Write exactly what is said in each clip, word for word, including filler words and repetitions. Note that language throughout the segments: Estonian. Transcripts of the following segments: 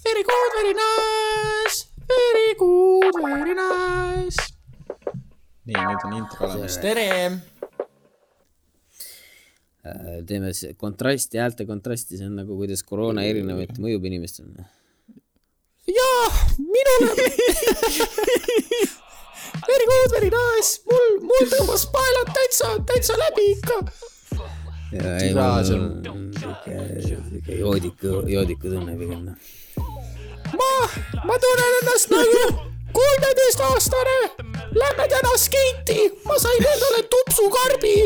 Very good, very nice. Very good, very nice. Nii, nüüd on intro olemas. Tere! Teeme kontrasti, häälte kontrasti, see on nagu kuidas koroona erinevat mõjub inimestele. Jaa, minule! Very good, very nice. Mul, mul tõmbas paelad täitsa, täitsa läbi ikka. Ja ei, mul on joodiku, joodiku tunne pigem. Ma, ma tunnen ennast nagu kolmeteist aastane. Lämme täna skeiti. Ma sain endale tupsukarbi.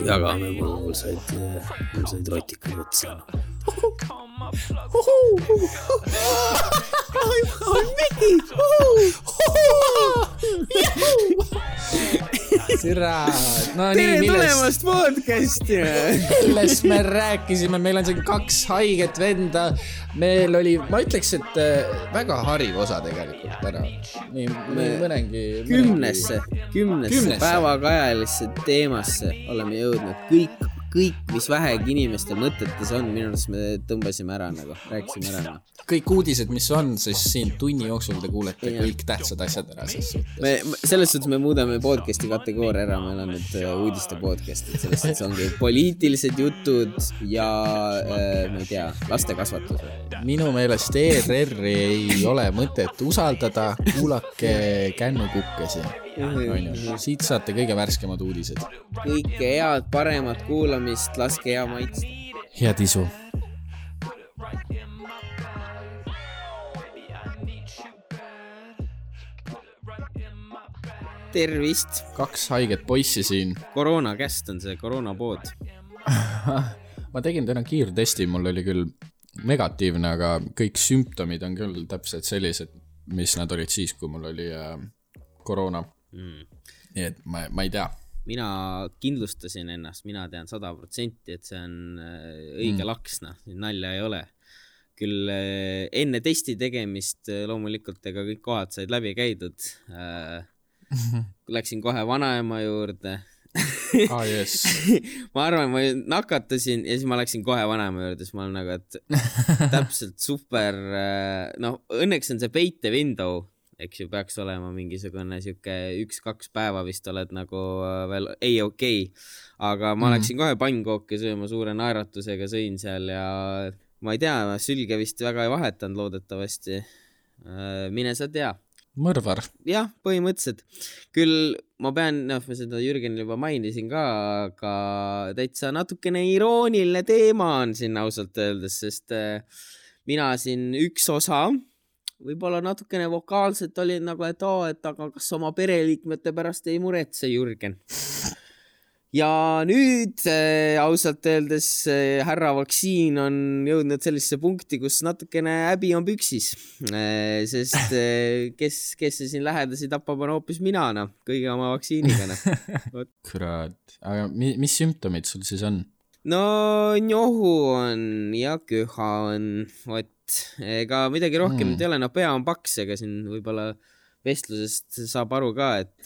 Jagame, mul, mul said, mul said rotikad otsa. Miki! Sira, no tere nii, tulemast podcasti! Millest me rääkisime, meil on siin kaks haiget venda, meil oli, ma ütleks, et väga hariv osa tegelikult täna. Nii, mõnengi... Kümnesse, kümnesse päevakajalisse teemasse oleme jõudnud. Kõik, kõik, mis vähegi inimeste mõtetes on, minu arust me tõmbasime ära nagu, rääkisime ära. Kõik uudised, mis on, siis siin tunni jooksul te kuulete ja. Kõik tähtsad asjad ära. Me, selles suhtes me muudame podcasti kategooria ära, meil on nüüd uudiste podcast, et selles suhtes ongi poliitilised jutud ja äh, ma ei tea, laste kasvatus. Minu meelest E R R ei ole mõtet usaldada, kuulake kännukukkesi. Siit saate kõige värskemad uudised. Kõike head, paremat kuulamist, laske hea maitsta. Hea tisu. Tervist. Kaks haiget poissi siin. Koroona käst on see, koroona pood. Ma tegin täna kiirtesti, mul oli küll negatiivne, aga kõik sümptomid on küll täpselt sellised, mis nad olid siis, kui mul oli äh, koroona. Mm. Nii et ma, ma ei tea. Mina kindlustasin ennast, mina tean sada protsenti, et see on õige mm. laksna, nalja ei ole. Küll äh, enne testi tegemist loomulikult ega kõik kohad said läbi käidud. Äh, läksin kohe vanaema juurde. Ah, yes. Ma arvan, ma nakatasin ja siis ma läksin kohe vanaema juurde, siis ma olen nagu, et täpselt super, noh, õnneks on see peite window, eks ju, peaks olema mingisugune siuke üks-kaks päeva vist oled nagu veel ei okei, aga ma mm. läksin kohe pannkooke sööma suure naeratusega, sõin seal ja ma ei tea, sülge vist väga ei vahetanud loodetavasti. Mine sa tea. Mõrvar. Jah, põhimõtteliselt. Küll ma pean, noh, ma seda Jürgenil juba mainisin ka, aga täitsa natukene irooniline teema on siin ausalt öeldes, sest mina siin üks osa, võib-olla natukene vokaalselt oli nagu, et oo, et aga kas oma pereliikmete pärast ei muretse Jürgen. Ja nüüd äh, ausalt öeldes äh, härra vaktsiin on jõudnud sellisesse punkti, kus natukene häbi on püksis, äh, sest äh, kes, kes see siin lähedasi tapab on hoopis mina, no, kõige oma vaktsiiniga. No. Kurat, aga mi, mis sümptomid sul siis on? No njohu on ja köha on, vot, ega midagi rohkem mm. ei ole, no pea on paks, ega siin võib-olla vestlusest saab aru ka, et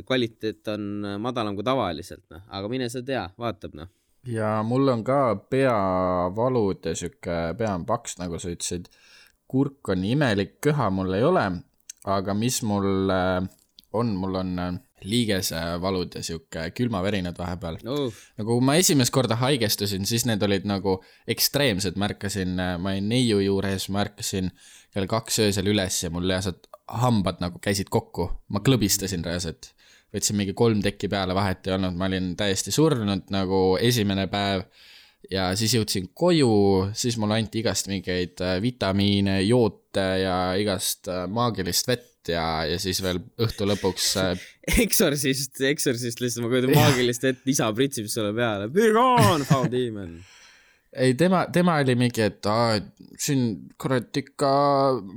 kvaliteet on madalam kui tavaliselt, no. Aga mine sa tea, vaatab. No. Ja mul on ka peavalud ja süke pea on paks, nagu sa ütlesid. Kurk on imelik, köha mul ei ole, aga mis mul on, mul on liigese valud ja süke külmaverinad vahepeal. Oh. Nagu ma esimest korda haigestusin, siis need olid nagu ekstreemsed, märkasin, ma olin neiu juures, märkasin kell kaks öösel üles ja mul lihtsalt hambad nagu käisid kokku. Ma klõbistasin reaalselt. Võtsin mingi kolm tekki peale, vahet ei olnud. Ma olin täiesti surnud nagu esimene päev ja siis jõudsin koju, siis mul anti igast mingeid vitamiine, joote ja igast maagilist vett ja, ja siis veel õhtu lõpuks Exorcist, Exorcist lihtsalt ma kujutan maagilist vett, isa pritsib sulle peale. Be gone, foul demon. Ei, tema, tema oli mingi, et aa, siin kurat ikka,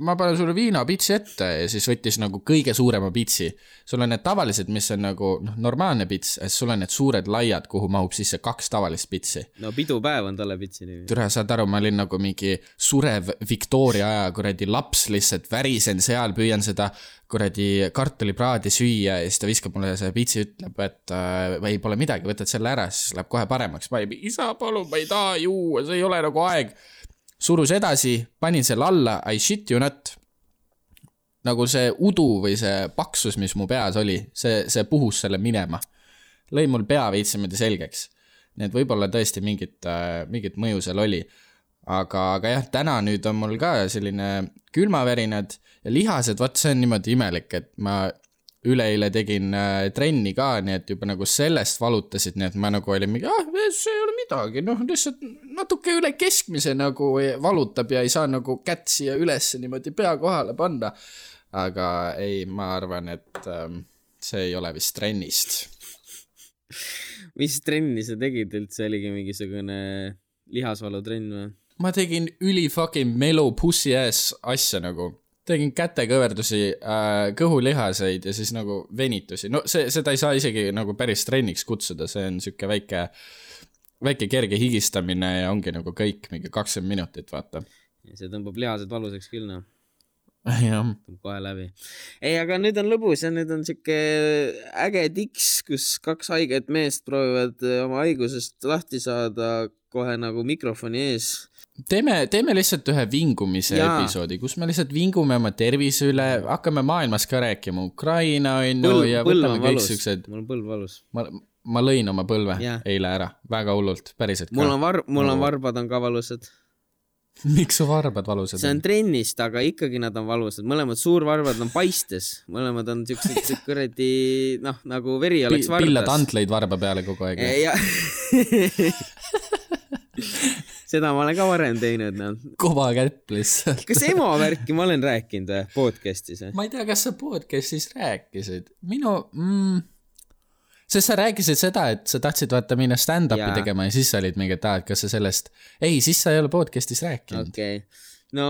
ma panen sulle viina pitsi ette ja siis võttis nagu kõige suurema pitsi. Sul on need tavalised, mis on nagu noh, normaalne pits, ja sul on need suured laiad, kuhu mahub sisse kaks tavalist pitsi. No pidupäev on talle pitsi nimi. Türa, saad aru, ma olin nagu mingi surev Victoria aja kuradi laps lihtsalt värisen seal, püüan seda kuradi kartulipraadi süüa ja siis ta viskab mulle see pitsi, ütleb, et äh, ei pole midagi, võtad selle ära, siis läheb kohe paremaks. Ma ei, isa, palun, ma ei taha juua, see ei ole nagu aeg. surus edasi, panin selle alla, I shit you not. Nagu see udu või see paksus, mis mu peas oli, see, see puhus selle minema. Lõi mul pea veitsemedi selgeks. Nii et võib-olla tõesti mingit, mingit mõju seal oli. Aga, aga jah, täna nüüd on mul ka selline külmavärinad ja lihased, vaat see on niimoodi imelik, et ma üleeile tegin trenni ka, nii et juba nagu sellest valutasid, nii et ma nagu olin mingi, ah, see ei ole midagi, noh, lihtsalt natuke üle keskmise nagu valutab ja ei saa nagu kätt siia üles niimoodi pea kohale panna. Aga ei, ma arvan, et ähm, see ei ole vist trennist. Mis trenni sa tegid üldse, oligi mingisugune lihasvalutrenn või? Ma tegin üli fucking melu pussi ass asja nagu. Tegin kätekõverdusi, äh, kõhulihaseid ja siis nagu venitusi. No see, seda ei saa isegi nagu päris trenniks kutsuda, see on siuke väike, väike kerge higistamine ja ongi nagu kõik mingi kakskümmend minutit, vaata. Ja see tõmbab lihased valuseks küll, noh. Jah. Kohe läbi. Ei, aga nüüd on lõbus ja nüüd on siuke äge tiks, kus kaks haiget meest proovivad oma haigusest lahti saada kohe nagu mikrofoni ees. Teeme, teeme lihtsalt ühe vingumise Jaa. episoodi, kus me lihtsalt vingume oma tervise üle, hakkame maailmas ka rääkima Ukraina on põlv, ja põlv võtame kõik valus. Süksed. Mul on põlv valus. Ma, ma lõin oma põlve ja. eile ära, väga hullult, päriselt ka. Mul on, var, mul on varbad on ka valusad. Miks su varbad valusad? See on trennist, aga ikkagi nad on valusad. Mõlemad suurvarbad on paistes. Mõlemad on siuksed kuradi, noh, nagu veri oleks vardas. Pillad antleid varba peale kogu aeg. Ja. Seda ma olen ka varem teinud. No. Kova kätt lihtsalt. Kas emo värki ma olen rääkinud podcastis? Ma ei tea, kas sa podcastis rääkisid. Minu... Mm, sest sa rääkisid seda, et sa tahtsid vaata minna stand-upi ja. tegema ja siis sa olid mingi, et ah, kas sa sellest... Ei, siis sa ei ole podcastis rääkinud. Okei. Okay. No,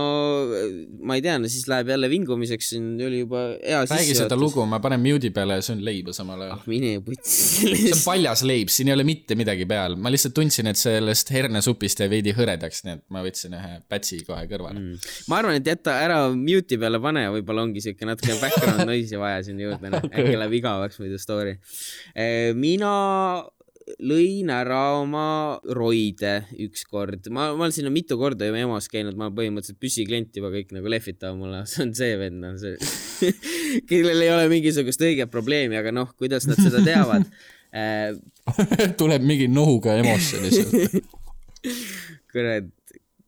ma ei tea, no siis läheb jälle vingumiseks, siin oli juba hea sisse. Räägi seda lugu, ma panen mute'i peale ja see on leiba samal ajal. Ah, mine puts. See on paljas leib, siin ei ole mitte midagi peal. Ma lihtsalt tundsin, et sellest hernesupist jäi veidi hõredaks, nii et ma võtsin ühe pätsi kohe kõrvale. Mm. Ma arvan, et jätta ära mute'i peale pane ja võib-olla ongi siuke natuke background noisi vaja siin juurde. Okay. Äkki läheb igavaks muidu story. Mina... lõin ära oma roide üks kord. Ma, ma olen sinna mitu korda juba emos käinud, ma olen põhimõtteliselt püsiklient juba kõik nagu lehvitavad mulle. See on see vend, see, kellel ei ole mingisugust õiget probleemi, aga noh, kuidas nad seda teavad. Tuleb mingi nohuga emosse lihtsalt. Kurat,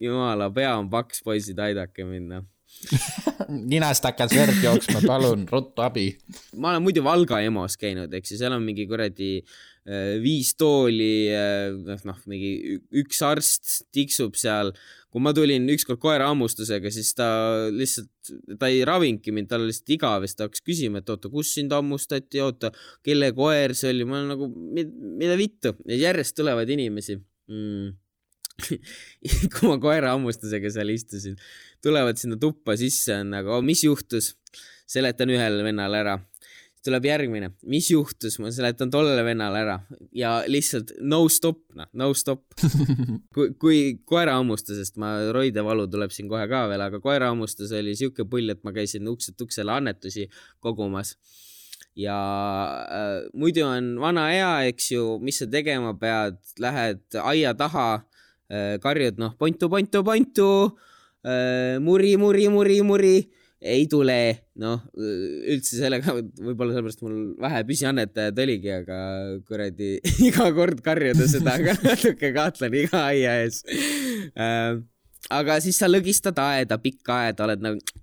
jumala, pea on paks, poisid, aidake minna. Ninast hakkas verd jooksma, palun, ruttu abi. Ma olen muidu Valga emos käinud, eks ja seal on mingi kuradi viis tooli, noh, mingi üks arst tiksub seal. Kui ma tulin ükskord koera ammustusega, siis ta lihtsalt, ta ei ravinki mind, ta oli lihtsalt igav, ta hakkas küsima, et oota, kus sind ammustati, oota, kelle koer see oli, ma olen nagu, mida vittu, ja järjest tulevad inimesi. Mm. Kui ma koera ammustusega seal istusin, tulevad sinna tuppa sisse, on nagu, mis juhtus? Seletan ühele vennale ära. Tuleb järgmine, mis juhtus, ma seletan tollele vennale ära ja lihtsalt no stop, no, no stop. Kui, kui koera ammustusest, ma roide valu tuleb siin kohe ka veel, aga koera ammustus oli siuke pull, et ma käisin ukselt uksele annetusi kogumas. Ja äh, muidu on vana hea, eks ju, mis sa tegema pead, lähed aia taha, äh, karjud, noh, pontu, pontu, pontu, äh, muri, muri, muri, muri. Ei tule, noh, üldse sellega, võib-olla sellepärast mul vähe püsiannetajad oligi, aga kuradi iga kord karjuda seda, aga natuke kahtlen iga aia ees. Aga siis sa lõgistad aeda, pikka aeda, oled nagu,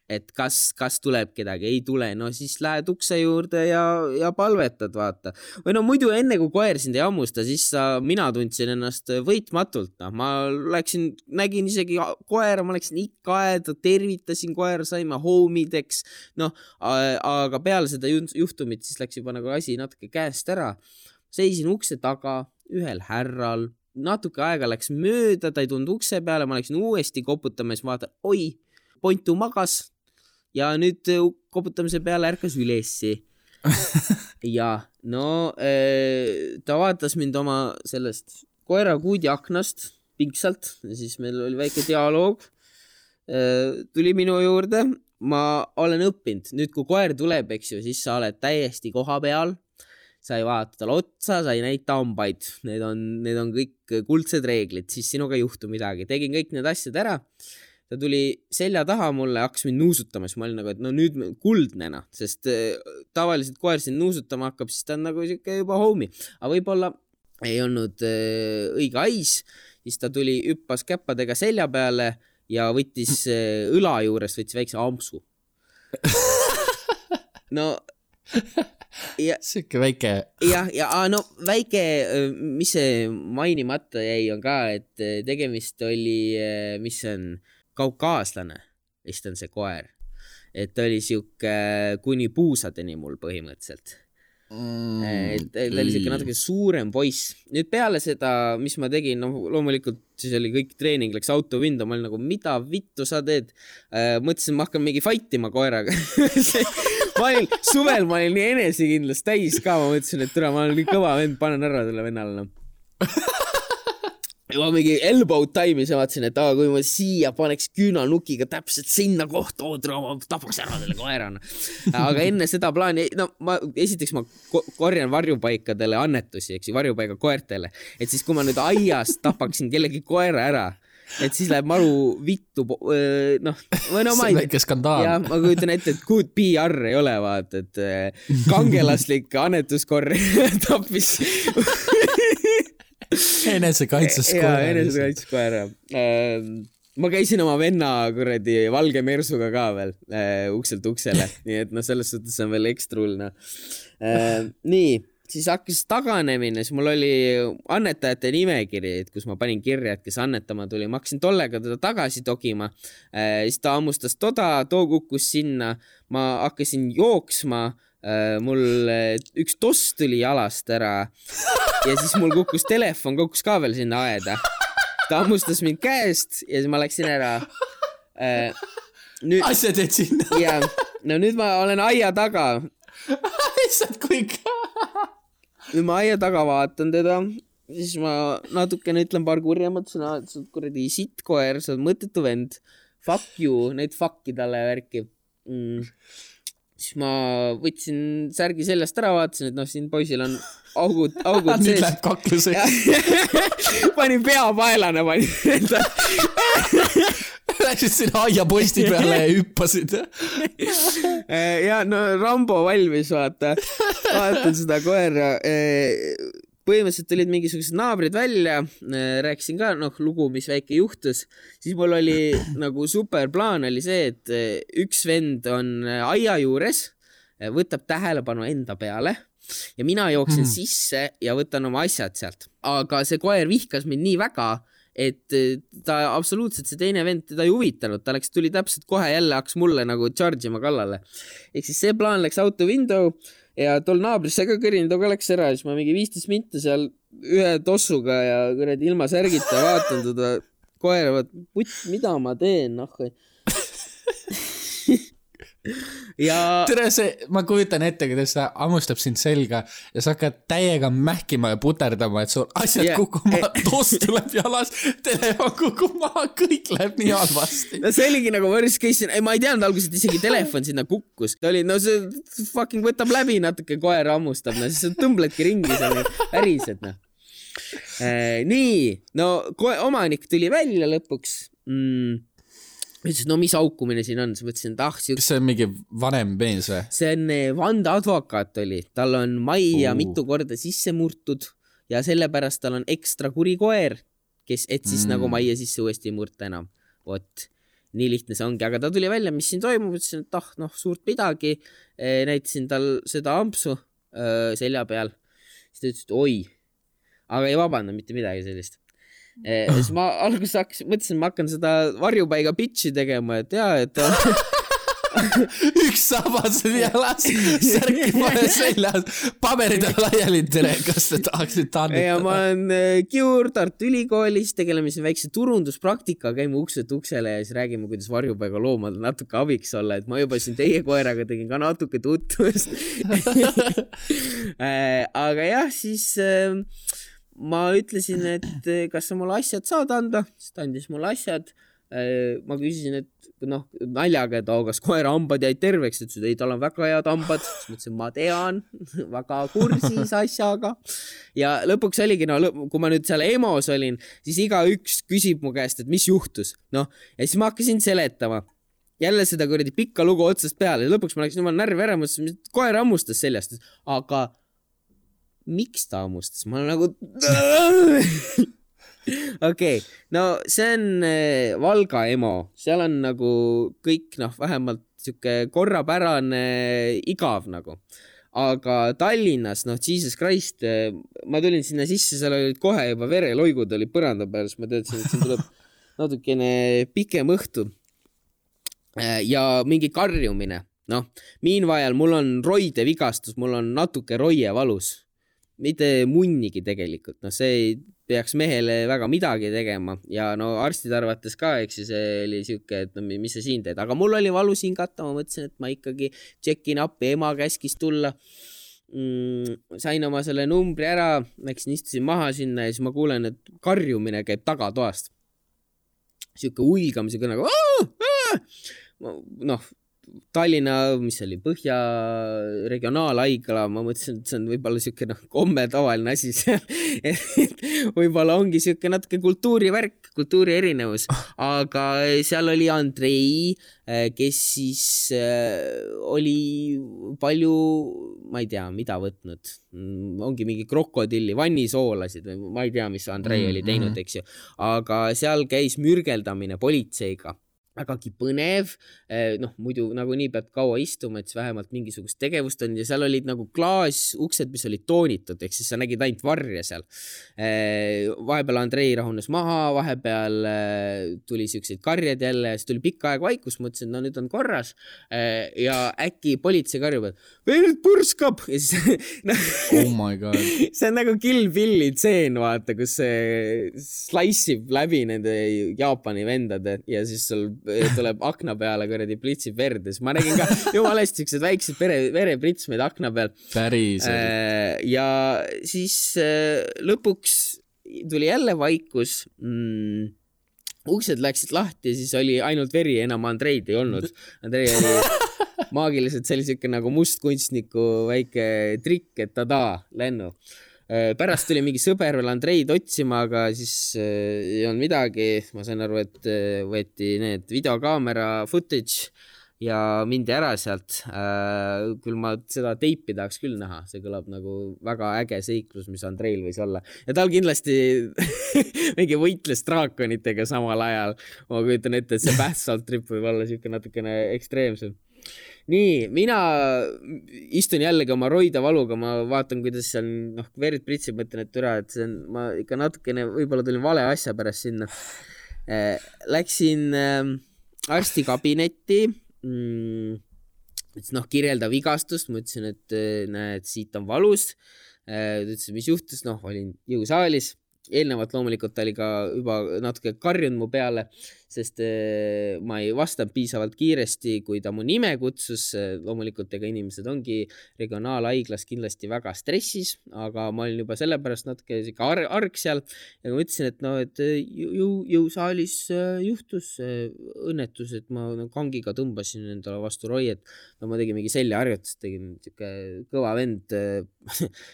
et kas, kas tuleb kedagi, ei tule, no siis lähed ukse juurde ja, ja palvetad, vaata. Või no muidu enne kui koer sind ei ammusta, siis sa, mina tundsin ennast võitmatult, no, ma läksin, nägin isegi koera, ma läksin ikka aeda, tervitasin koera, saime hoomideks, noh, aga peale seda juhtumit siis läks juba nagu asi natuke käest ära. Seisin ukse taga, ühel härral, natuke aega läks mööda, ta ei tulnud ukse peale, ma läksin uuesti koputama ja siis vaatan, oi, pontu magas. Ja nüüd koputamise peale ärkas ülessi. Ja no ta vaatas mind oma sellest koera kuudi aknast pingsalt. Ja siis meil oli väike dialoog. Tuli minu juurde. Ma olen õppinud. Nüüd kui koer tuleb, eks ju, siis sa oled täiesti koha peal. sa ei vaata talle otsa, sa ei näita hambaid, need on, need on kõik kuldsed reeglid, siis sinuga ei juhtu midagi. Tegin kõik need asjad ära, ta tuli selja taha mulle, hakkas mind nuusutama, siis ma olin nagu, et no nüüd kuldnena, sest tavaliselt koer sind nuusutama hakkab, siis ta on nagu siuke juba homie, aga võib-olla ei olnud õige ais, siis ta tuli, hüppas käppadega selja peale ja võttis õla juurest, võttis väikse ampsu. No ja, siuke väike ja, ja no väike, mis see mainimata jäi on ka, et tegemist oli, mis on kaukaaslane, vist on see koer, et ta oli siuke kuni puusadeni mul põhimõtteliselt. Mm, et ta oli siuke natuke suurem poiss. Nüüd peale seda, mis ma tegin, no loomulikult siis oli kõik treening, läks autovindu, ma olin nagu, mida vittu sa teed? Mõtlesin, ma hakkan mingi fightima koeraga. Ma olin, suvel ma olin nii enesekindlast täis ka, ma mõtlesin, et türa, ma olen nii kõva vend, panen ära selle vennale. Ja ma mingi elbow time'is ja vaatasin, et aga kui ma siia paneks küünanukiga täpselt sinna kohta, oodra, ma tapaks ära selle koerana. Aga enne seda plaani, no ma, esiteks ma korjan varjupaikadele annetusi, eks ju, varjupaiga koertele. Et siis, kui ma nüüd aias tapaksin kellegi koera ära, et siis läheb maru vittu, noh, või no ma ei... See väike skandaal. Ja ma kujutan ette, et good P R ei ole, vaat, et kangelaslik annetuskorri tappis... Enesekaitses koera. Ja, enesekaitses koera. Ma käisin oma venna kuradi valge mersuga ka veel ukselt uksele, nii et no selles suhtes on veel ekstrulna. Nii, siis hakkas taganemine, siis mul oli annetajate nimekiri, et kus ma panin kirja, et kes annetama tuli. Ma hakkasin tollega teda tagasi togima, siis ta ammustas toda, too kukkus sinna, ma hakkasin jooksma, mul üks toss tuli jalast ära ja siis mul kukkus telefon, kukkus ka veel sinna aeda. Ta ammustas mind käest ja siis ma läksin ära. Nüüd... Asja teed sinna. Ja, no nüüd ma olen aia taga. Issad kui ka. Nüüd ma aia taga vaatan teda, siis ma natukene ütlen paar kurja, mõtlesin, et sa oled kuradi sittkoer, sa oled mõttetu vend. Fuck you, neid fuck'i talle värki. Mm. Siis ma võtsin särgi seljast ära, vaatasin, et noh, siin poisil on augud, augud sees. Nüüd läheb kakluseks. Panin pea paelane, panin enda. Läksid sinna aia posti peale ja hüppasid. Ja no Rambo valmis, vaata. Vaatan seda koera. Põhimõtteliselt olid mingisugused naabrid välja, rääkisin ka, noh, lugu, mis väike juhtus, siis mul oli nagu super plaan oli see, et üks vend on aia juures, võtab tähelepanu enda peale ja mina jooksin hmm. sisse ja võtan oma asjad sealt. Aga see koer vihkas mind nii väga, et ta absoluutselt see teine vend teda ei huvitanud, ta läks, tuli täpselt kohe jälle, hakkas mulle nagu charge ima kallale. Ehk siis see plaan läks out the window ja tol naabrisse ka kõrinud, aga läks ära, siis ma mingi viisteist minta seal ühe tossuga ja kuradi ilma särgita vaatan teda koera, vaat, mida ma teen, noh. Ja... Tere see, ma kujutan ette, kuidas ta ammustab sind selga ja sa hakkad täiega mähkima ja puterdama, et sul asjad yeah. kukuma, toss tuleb jalas, telefon kukuma, kõik läheb nii halvasti. No see oligi nagu worst case, ei, ma ei teadnud alguses, et isegi telefon sinna kukkus. Ta oli, no see fucking võtab läbi natuke, koer ammustab, no siis sa tõmbledki ringi seal päriselt, noh. Äh, nii, no koe, omanik tuli välja lõpuks. Mm. Ütlesin, no mis aukumine siin on, siis mõtlesin, et ah, siuk... see on mingi vanem mees või? See on Vanda advokaat oli, tal on majja uh. mitu korda sisse murtud ja sellepärast tal on ekstra kuri koer, kes, et siis mm. nagu majja sisse uuesti ei murta enam. Vot, nii lihtne see ongi, aga ta tuli välja, mis siin toimub, ütlesin, et ah, noh, suurt midagi, e, näitasin tal seda ampsu öö, selja peal, siis ta ütles, et oi, aga ei vabanda mitte midagi sellist. Eh, siis ma alguses hakkas, mõtlesin, ma hakkan seda varjupaiga pitchi tegema, et jaa, et üks sabased jalas, särki pole seljas, paberid on laiali, tere, kas te tahaksid tannitada? Ja ma olen Kiur Tartu Ülikoolis, tegeleme siin väikse turunduspraktika, käime ukselt uksele ja siis räägime, kuidas varjupaiga loomad natuke abiks olla, et ma juba siin teie koeraga tegin ka natuke tutvust. Aga jah, siis... ma ütlesin, et kas sa mulle asjad saad anda, siis ta andis mulle asjad, ma küsisin, et noh, naljaga, et kas koera hambad jäid terveks, et ei, tal on väga head hambad. Siis mõtlesin, ma tean, väga kursis asjaga. Ja lõpuks oligi, no kui ma nüüd seal emos olin, siis iga üks küsib mu käest, et mis juhtus. Noh, ja siis ma hakkasin seletama. Jälle seda kuradi pikka lugu otsast peale. Ja lõpuks ma läksin jumal närvi ära, mõtlesin, koer ammustas seljast. Aga miks ta ammustas? Ma olen nagu... Okei, okay. No see on Valga emo. Seal on nagu kõik, noh, vähemalt siuke korrapärane igav nagu. Aga Tallinnas, noh, Jesus Christ, ma tulin sinna sisse, seal olid kohe juba vereloigud oli põranda peal, siis ma teadsin, et siin tuleb natukene pikem õhtu. Ja mingi karjumine. Noh, meanwhile mul on roide vigastus, mul on natuke roie valus. Mitte munnigi tegelikult. No see ei peaks mehele väga midagi tegema. Ja no arstid arvates ka, eks see oli siuke, et no mis sa siin teed. Aga mul oli valus hingata, ma mõtlesin, et ma ikkagi tšekin appi, ema käskis tulla. Mm, sain oma selle numbri ära, läksin istusin maha sinna ja siis ma kuulen, et karjumine käib tagatoast. Siuke uilgamise kõnaga. Noh, Tallinna, mis oli Põhja regionaalhaigla, ma mõtlesin, et see on võib-olla siuke noh, komme tavaline asi seal. Võib-olla ongi siuke natuke kultuurivärk, kultuuri erinevus, aga seal oli Andrei, kes siis oli palju, ma ei tea, mida võtnud. Ongi mingi krokodilli, vannisoolasid, ma ei tea, mis Andrei oli teinud, eks ju. Aga seal käis mürgeldamine politseiga. Vägagi põnev, noh, muidu nagu nii pead kaua istuma, et siis vähemalt mingisugust tegevust on ja seal olid nagu klaas uksed, mis olid toonitud, ehk siis sa nägid ainult varja seal. Vahepeal Andrei rahunes maha, vahepeal tuli siukseid karjad jälle ja siis tuli pikka aeg vaikus, mõtlesin, no nüüd on korras ja äkki politsei karjub, et veel purskab ja siis oh my god. See on nagu Kill Billi tseen, vaata, kus see slaissib läbi nende Jaapani vendade ja siis sul tuleb akna peale, kuradi plitsib verdes. Ma nägin ka jumala hästi siuksed väiksed vere, verepritsmeid akna peal. Päriselt. Ja siis lõpuks tuli jälle vaikus. Mm, uksed läksid lahti ja siis oli ainult veri, enam Andreid ei olnud. Andrei oli maagiliselt, see oli siuke nagu mustkunstniku väike trikk, et tada, lennu. Pärast tuli mingi sõber veel Andreid otsima, aga siis ei olnud midagi. Ma sain aru, et võeti need videokaamera footage ja mindi ära sealt. Küll ma seda teipi tahaks küll näha. See kõlab nagu väga äge seiklus, mis Andreil võis olla. Ja tal kindlasti mingi võitles draakonitega samal ajal. Ma kujutan ette, et see bath trip võib olla siuke natukene ekstreemsem. Nii, mina istun jällegi oma roida valuga, ma vaatan, kuidas seal noh, verid pritsib, mõtlen, et üra, et see on, ma ikka natukene võib-olla tulin vale asja pärast sinna. Läksin arstikabinetti, noh, kirjelda vigastust, ma ütlesin, et näed, siit on valus. Ütlesin, mis juhtus, noh, olin jõusaalis. Eelnevalt loomulikult oli ka juba natuke karjunud mu peale, sest ma ei vastanud piisavalt kiiresti, kui ta mu nime kutsus. Loomulikult ega inimesed ongi regionaalhaiglas kindlasti väga stressis, aga ma olin juba sellepärast natuke ar arg seal ja ma ütlesin, et no, et jõu, jõusaalis juhtus õnnetus, et ma kangiga tõmbasin endale vastu roi, et no ma tegin mingi seljaharjutust, tegin siuke kõva vend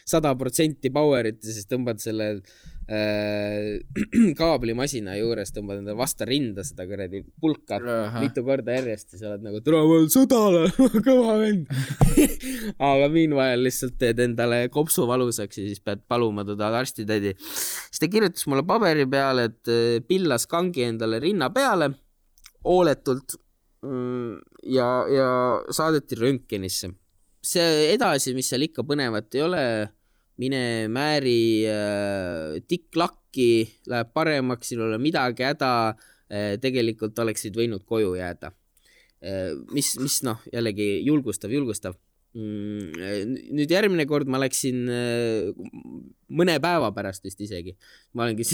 sada protsenti powerit ja siis tõmbad selle kaablimasina juures, tõmbad enda vasta rinda seda kuradi pulka mitu korda järjest ja sa oled nagu turaval sõdale, kõva vend. Aga meanwhile lihtsalt teed endale kopsu valusaks ja siis pead paluma teda arstitädi. Siis ta kirjutas mulle paberi peale, et pillas kangi endale rinna peale hooletult ja, ja saadeti röntgenisse. See edasi, mis seal ikka põnevat ei ole, mine määri äh, tikklakki, läheb paremaks, siin ole midagi häda, äh, tegelikult oleksid võinud koju jääda. Äh, mis, mis noh, jällegi julgustav, julgustav. Mm, nüüd järgmine kord ma läksin äh, mõne päeva pärast vist isegi. Ma olengi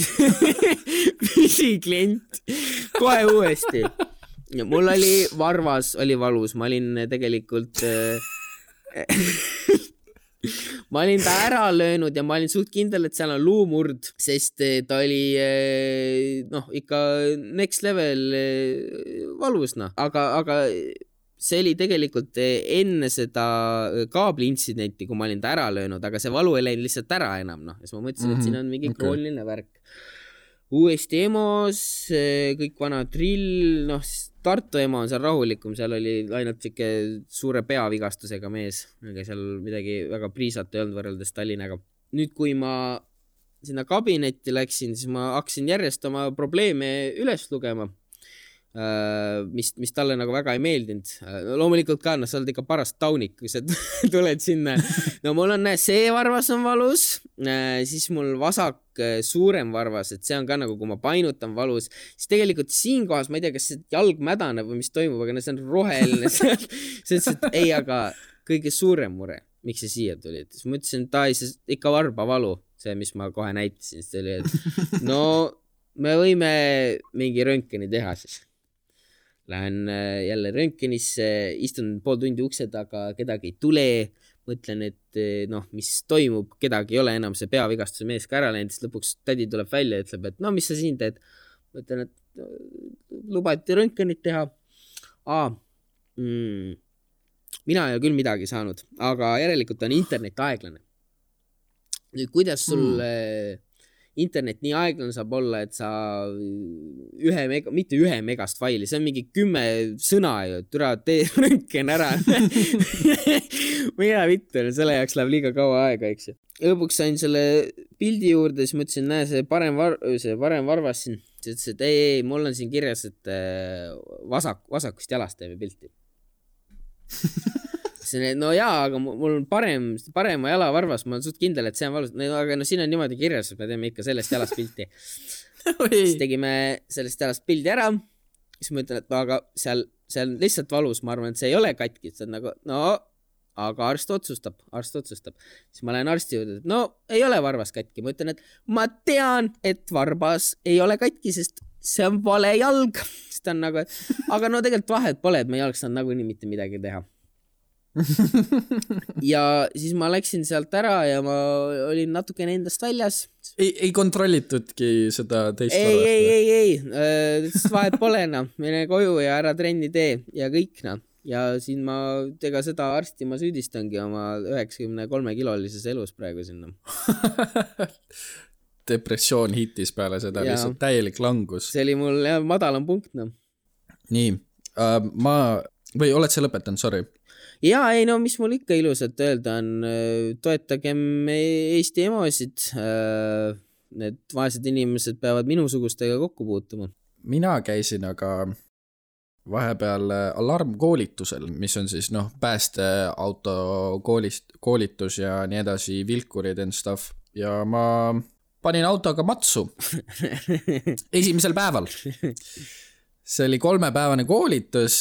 püsiklient kohe uuesti. Mul oli varvas, oli valus, ma olin tegelikult... Äh, ma olin ta ära löönud ja ma olin suht kindel, et seal on luumurd, sest ta oli noh, ikka next level valus, noh, aga, aga see oli tegelikult enne seda kaabli intsidenti, kui ma olin ta ära löönud, aga see valu ei läinud lihtsalt ära enam, noh, ja siis ma mõtlesin, mm-hmm. et siin on mingi okay. krooniline värk. Uuesti EMO-s, kõik vana drill, noh, Tartu EMO on seal rahulikum, seal oli ainult siuke suure peavigastusega mees, aga seal midagi väga priisat ei olnud võrreldes Tallinnaga. Nüüd, kui ma sinna kabinetti läksin, siis ma hakkasin järjest oma probleeme üles lugema. Mis, mis talle nagu väga ei meeldinud. Loomulikult ka, no sa oled ikka parast taunik, kui sa tuled sinna. No mul on see varvas on valus, siis mul vasak suurem varvas, et see on ka nagu, kui ma painutan valus, siis tegelikult siin kohas, ma ei tea, kas see jalg mädaneb või mis toimub, aga see on roheline. See ütles, et ei, aga kõige suurem mure, miks see siia tuli. Siis ma ütlesin, et ta ei, see ikka varba valu, see, mis ma kohe näitasin. Siis oli, et no me võime mingi röntgeni teha siis. Lähen jälle röntgenisse, istun pool tundi ukse taga, kedagi ei tule, mõtlen, et noh, mis toimub, kedagi ei ole enam see peavigastuse mees ka ära läinud, siis lõpuks tädi tuleb välja ja ütleb, et no mis sa siin teed? Mõtlen, et lubati röntgenit teha. Aa, mm, mina ei ole küll midagi saanud, aga järelikult on internet aeglane. Nüüd, kuidas sul mm. internet nii aeglane saab olla, et sa ühe mega, mitte ühe megast faili, see on mingi kümme sõna ju, türa tee röntgen ära. Mina vittu, selle jaoks läheb liiga kaua aega, eks ju. Lõpuks sain selle pildi juurde, siis mõtlesin, näe, see parem, var, see parem varvas siin. Siis ütles, et ei, ei, mul on siin kirjas, et vasak, vasakust jalast teeme pilti. No jaa, aga mul on parem, parema jala varvas, ma olen suht kindel, et see on valus, no, aga no siin on niimoodi kirjas, et me teeme ikka sellest jalast pilti. Siis tegime sellest jalast pildi ära, siis ma ütlen, et no, aga seal, seal lihtsalt valus, ma arvan, et see ei ole katki, see on nagu, no, aga arst otsustab, arst otsustab. Siis ma lähen arsti juurde, et no, ei ole varvas katki, ma ütlen, et ma tean, et varbas ei ole katki, sest see on vale jalg, siis ta on nagu, aga no tegelikult vahet pole, et me ei oleks saanud nagu nii mitte midagi teha. Ja siis ma läksin sealt ära ja ma olin natukene endast väljas. Ei, ei kontrollitudki seda teist ei, varvast? Ei, ei, ei, ei. Vahet pole, no. Mene koju ja ära trenni tee ja kõik, no. Ja siin ma, ega seda arsti ma süüdistangi oma üheksakümne kolme kilolises elus praegu sinna. Depressioon hitis peale seda, ja. Lihtsalt täielik langus. See oli mul jah, madalam punkt, no. Nii, uh, ma, või oled sa lõpetanud, sorry? Jaa, ei no, mis mul ikka ilusat öelda on, toetagem Eesti emosid, need vaesed inimesed peavad minusugustega kokku puutuma. Mina käisin aga vahepeal alarmkoolitusel, mis on siis noh, päästeauto koolist, koolitus ja nii edasi, vilkurid and stuff, ja ma panin autoga matsu esimesel päeval. See oli kolmepäevane koolitus,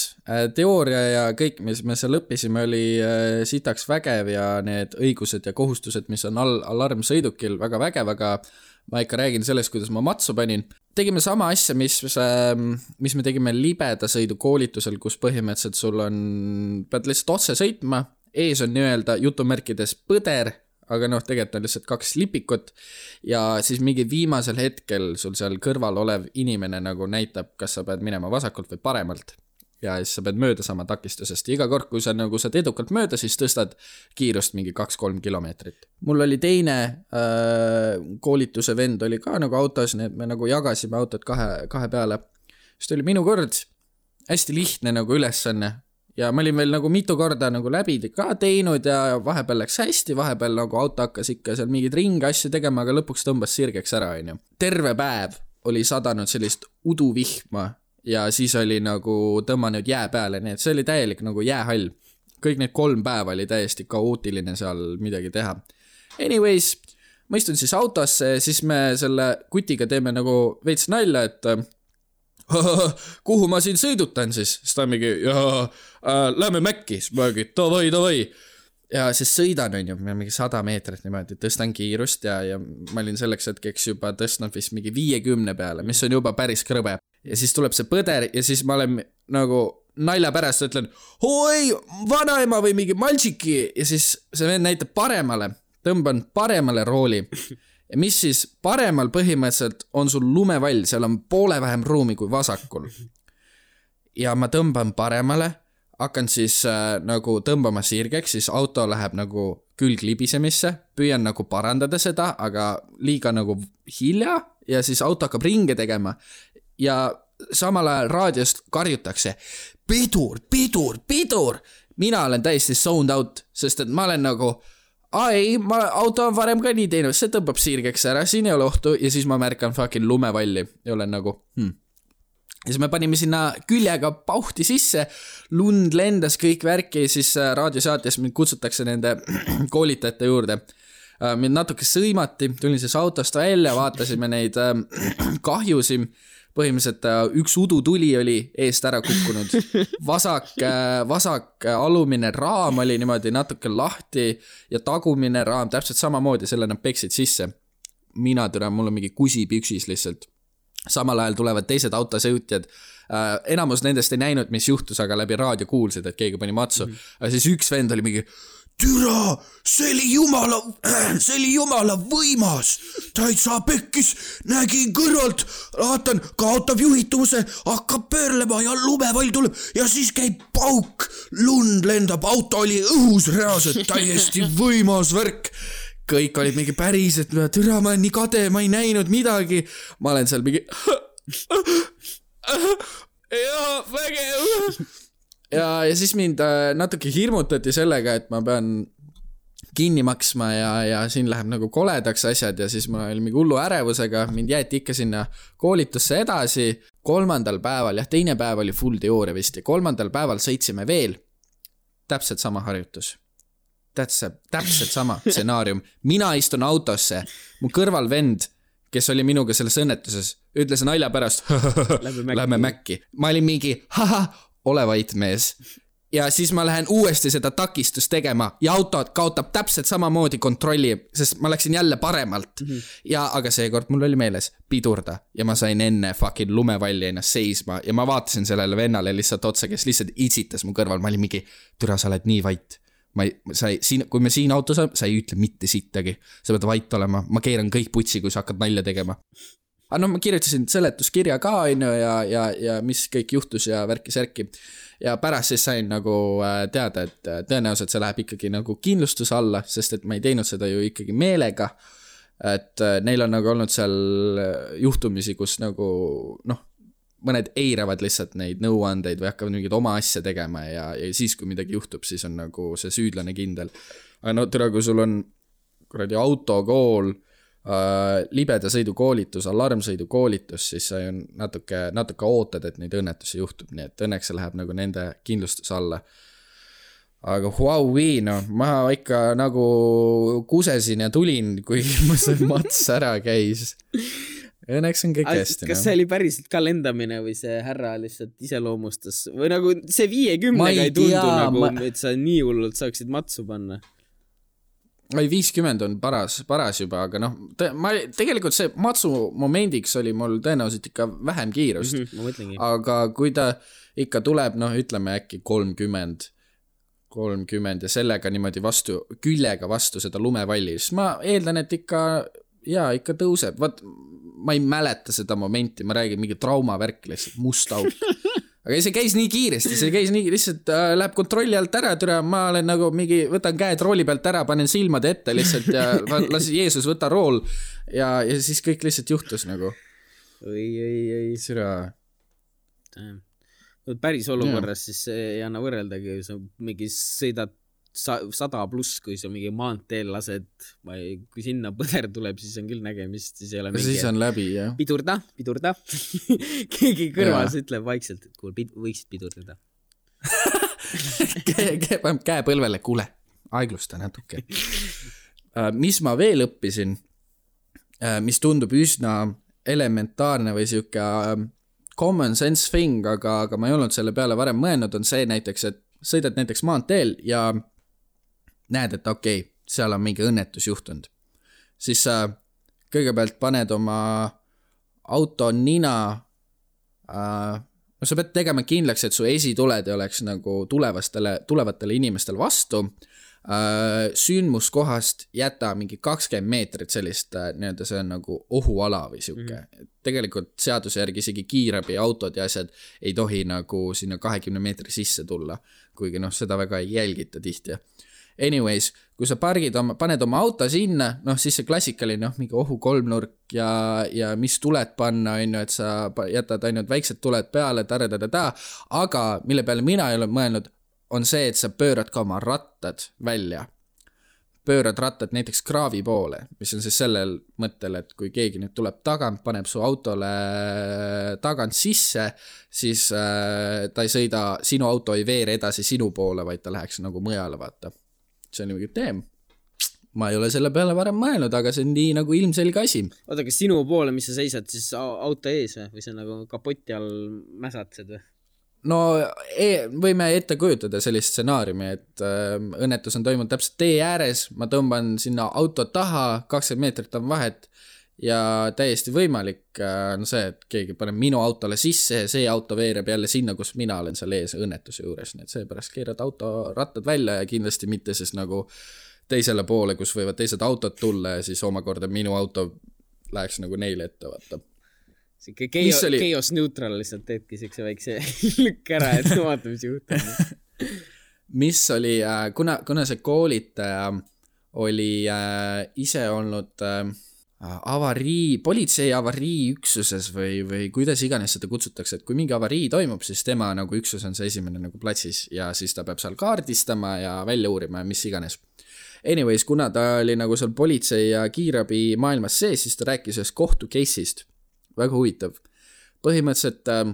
teooria ja kõik, mis me seal õppisime, oli sitaks vägev ja need õigused ja kohustused, mis on al- alarmsõidukil, väga vägev, aga ma ikka räägin sellest, kuidas ma matsu panin. Tegime sama asja, mis, mis me tegime libeda sõidu koolitusel, kus põhimõtteliselt sul on, pead lihtsalt otse sõitma, ees on nii-öelda jutumärkides põder, aga noh, tegelikult on lihtsalt kaks lipikut ja siis mingi viimasel hetkel sul seal kõrval olev inimene nagu näitab, kas sa pead minema vasakult või paremalt ja siis sa pead mööda sama takistusest. Iga kord, kui sa nagu saad edukalt mööda, siis tõstad kiirust mingi kaks-kolm kilomeetrit. Mul oli teine äh, koolituse vend oli ka nagu autos, nii et me nagu jagasime autot kahe, kahe peale. Siis oli minu kord hästi lihtne nagu ülesanne. Ja ma olin veel nagu mitu korda nagu läbi ka teinud ja vahepeal läks hästi, vahepeal nagu auto hakkas ikka seal mingid ringi asju tegema, aga lõpuks tõmbas sirgeks ära, on ju. Terve päev oli sadanud sellist uduvihma ja siis oli nagu tõmmanud jää peale, nii et see oli täielik nagu jäähall. Kõik need kolm päeva oli täiesti kaootiline seal midagi teha. Anyways, ma istun siis autosse, siis me selle kutiga teeme nagu veits nalja, et kuhu ma siin sõidutan siis? Siis ta mingi, jaa, äh, lähme Mäkki, siis ma mingi, davai, davai. Ja siis sõidan on ju, mingi sada meetrit niimoodi, tõstan kiirust ja, ja ma olin selleks hetkeks juba tõstnud vist mingi viiekümne peale, mis on juba päris krõbe. Ja siis tuleb see põder ja siis ma olen nagu nalja pärast ütlen, oi, vanaema või mingi maltšiki ja siis see vend näitab paremale, tõmban paremale rooli mis siis paremal põhimõtteliselt on sul lumevall, seal on poole vähem ruumi kui vasakul. Ja ma tõmban paremale, hakkan siis äh, nagu tõmbama sirgeks, siis auto läheb nagu külg libisemisse, püüan nagu parandada seda, aga liiga nagu hilja ja siis auto hakkab ringe tegema ja samal ajal raadiost karjutakse pidur, pidur, pidur. Mina olen täiesti zoned out, sest et ma olen nagu ai, ma, auto on varem ka nii teinud, see tõmbab sirgeks ära, siin ei ole ohtu ja siis ma märkan fucking lumevalli ja olen nagu hmm. Ja siis me panime sinna küljega pauhti sisse, lund lendas kõik värki ja siis raadiosaates mind kutsutakse nende koolitajate juurde. Mind natuke sõimati, tulin siis autost välja, vaatasime neid kahjusi. Põhimõtteliselt üks udutuli oli eest ära kukkunud. Vasak, vasak alumine raam oli niimoodi natuke lahti ja tagumine raam täpselt samamoodi, selle nad peksid sisse. Mina türan, mul on mingi kusi püksis lihtsalt. Samal ajal tulevad teised autosõutjad. Enamus nendest ei näinud, mis juhtus, aga läbi raadio kuulsid, et keegi pani matsu. Mm. Aga siis üks vend oli mingi türa, see oli jumala, see oli jumala võimas. Täitsa pekkis, nägin kõrvalt, vaatan, kaotab juhituvuse, hakkab pöörlema ja lumevall tuleb ja siis käib pauk, lund lendab, auto oli õhus reaalselt, täiesti võimas värk. Kõik olid mingi päris, et türa, ma olen nii kade, ma ei näinud midagi. Ma olen seal mingi jaa, vägev. Ja, ja siis mind natuke hirmutati sellega, et ma pean kinni maksma ja, ja siin läheb nagu koledaks asjad ja siis ma olin mingi hullu ärevusega, mind jäeti ikka sinna koolitusse edasi. Kolmandal päeval, jah, teine päev oli full teooria vist ja kolmandal päeval sõitsime veel. Täpselt sama harjutus. Täpselt, täpselt sama stsenaarium. Mina istun autosse, mu kõrval vend, kes oli minuga selles õnnetuses, ütles nalja pärast, lähme mäkki. Ma olin mingi, haha, ole vait mees. Ja siis ma lähen uuesti seda takistust tegema ja auto kaotab täpselt samamoodi kontrolli, sest ma läksin jälle paremalt. Mm-hmm. Ja aga seekord mul oli meeles pidurda ja ma sain enne fucking lumevalli ennast seisma ja ma vaatasin sellele vennale lihtsalt otsa, kes lihtsalt itsitas mu kõrval. Ma olin mingi, türa, sa oled nii vait. Ma ei, sa ei, siin, kui me siin autos on, sa ei ütle mitte sittagi. Sa pead vait olema. Ma keeran kõik putsi, kui sa hakkad nalja tegema. Aga no ma kirjutasin seletuskirja ka ja, ja, ja mis kõik juhtus ja värki-särki. Ja pärast siis sain nagu teada, et tõenäoliselt see läheb ikkagi nagu kindlustus alla, sest et ma ei teinud seda ju ikkagi meelega. Et neil on nagu olnud seal juhtumisi, kus nagu noh, mõned eiravad lihtsalt neid nõuandeid või hakkavad mingid oma asja tegema ja, ja siis, kui midagi juhtub, siis on nagu see süüdlane kindel. Aga no türa, kui sul on kuradi autokool, äh, libeda sõidu koolitus, alarmsõidu koolitus, siis sa on natuke, natuke ootad, et neid õnnetusi juhtub, nii et õnneks see läheb nagu nende kindlustus alla. Aga huaui, no, ma ikka nagu kusesin ja tulin, kui ma see mats ära käis. Õnneks on kõik hästi. Kas see oli päriselt ka lendamine või see härra lihtsalt iseloomustas? Või nagu see viiekümnega ei tundu tea, nagu, ma... et sa nii hullult saaksid matsu panna? Ei, viiskümmend on paras, paras juba, aga noh, te, ma, tegelikult see matsu momendiks oli mul tõenäoliselt ikka vähem kiirust. Mm-hmm, ma mõtlengi. Aga kui ta ikka tuleb, noh, ütleme äkki kolmkümmend, kolmkümmend ja sellega niimoodi vastu, küljega vastu seda lumevalli, siis ma eeldan, et ikka, jaa, ikka tõuseb. Vaat, ma ei mäleta seda momenti, ma räägin mingi traumavärk lihtsalt, must auk. Aga see käis nii kiiresti, see käis nii, lihtsalt äh, läheb kontrolli alt ära, türa, ma olen nagu mingi, võtan käed rooli pealt ära, panen silmad ette lihtsalt ja lasin Jeesus võtta rool ja, ja siis kõik lihtsalt juhtus nagu. Oi, oi, oi. Türa. Päris olukorras ja. Siis ei anna võrreldagi, sa mingi sõidad sada pluss, kui sa mingi maanteel lased, kui sinna põder tuleb, siis on küll nägemist, siis ei ole mingi... Siis on läbi, jah. Pidurda, pidurda. Keegi kõrvas ja. Ütleb vaikselt, et kuul, võiksid pidurdada. Käe, käe põlvele, kuule, aeglusta natuke. Mis ma veel õppisin, mis tundub üsna elementaarne või siuke common sense thing, aga, aga ma ei olnud selle peale varem mõelnud, on see näiteks, et sõidad näiteks maanteel ja näed, et okei, okay, seal on mingi õnnetus juhtunud. Siis sa kõigepealt paned oma auto nina, äh, no sa pead tegema kindlaks, et su esituled ei oleks nagu tulevastele, tulevatele inimestele vastu. äh, sündmuskohast jäta mingi kakskümmend meetrit sellist äh, nii-öelda see on nagu ohuala või siuke mm-hmm. tegelikult seaduse järgi isegi kiirabi autod ja asjad ei tohi nagu sinna kahekümne meetri sisse tulla, kuigi noh, seda väga ei jälgita tihti. Anyways, kui sa pargid oma, paned oma auto sinna, noh siis see klassikaline, noh mingi ohu kolmnurk ja, ja mis tuled panna, on ju, et sa jätad ainult väiksed tuled peale, taredadada, aga mille peale mina ei ole mõelnud, on see, et sa pöörad ka oma rattad välja. Pöörad rattad näiteks kraavi poole, mis on siis sellel mõttel, et kui keegi nüüd tuleb tagant, paneb su autole tagant sisse, siis äh, ta ei sõida, sinu auto ei veere edasi sinu poole, vaid ta läheks nagu mujale, vaata. See on niimoodi teem. Ma ei ole selle peale varem mõelnud, aga see on nii nagu ilmselge asi. Oota, kas sinu poole, mis sa seisad, siis auto ees või? Või see nagu kapoti all mäsatsed või? No e, võime ette kujutada sellist stsenaariumi, et äh, õnnetus on toimunud täpselt tee ääres, ma tõmban sinna auto taha, kakskümmend meetrit on vahet ja täiesti võimalik äh, on see, et keegi paneb minu autole sisse ja see auto veereb jälle sinna, kus mina olen seal ees õnnetuse juures, nii et seepärast keerad auto rattad välja ja kindlasti mitte siis nagu teisele poole, kus võivad teised autod tulla ja siis omakorda minu auto läheks nagu neile ette, vaata. Sikke chaos, oli... chaos neutral lihtsalt teedki siukse väikse lükk ära, et vaata, mis juhtub. Mis oli, kuna, kuna see koolitaja oli äh, ise olnud äh, avarii, politsei avarii üksuses või, või kuidas iganes seda kutsutakse, et kui mingi avarii toimub, siis tema nagu üksus on see esimene nagu platsis ja siis ta peab seal kaardistama ja välja uurima ja mis iganes. Anyways, kuna ta oli nagu seal politsei ja kiirabi maailmas sees, siis ta rääkis ühest kohtu case'ist. Väga huvitav. Põhimõtteliselt äh,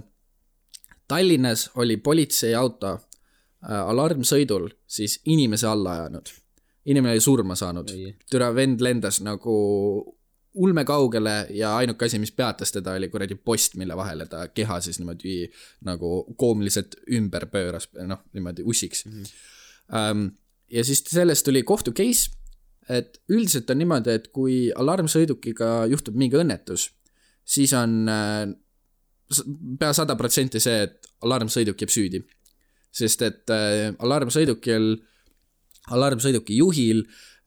Tallinnas oli politsei auto äh, alarmsõidul siis inimese alla ajanud. Inimene oli surma saanud. Türa vend lendas nagu ulme kaugele ja ainuke asi, mis peatas teda, oli kuradi post, mille vahele ta keha siis niimoodi nagu koomiliselt ümber pööras, noh, niimoodi ussiks. Mm-hmm. Ähm, ja siis sellest tuli kohtu case, et üldiselt on niimoodi, et kui alarmsõidukiga juhtub mingi õnnetus, siis on äh, pea sada protsenti see, et alarmsõiduk jääb süüdi. Sest et äh, alarmsõidukil, alarmsõiduki juhil,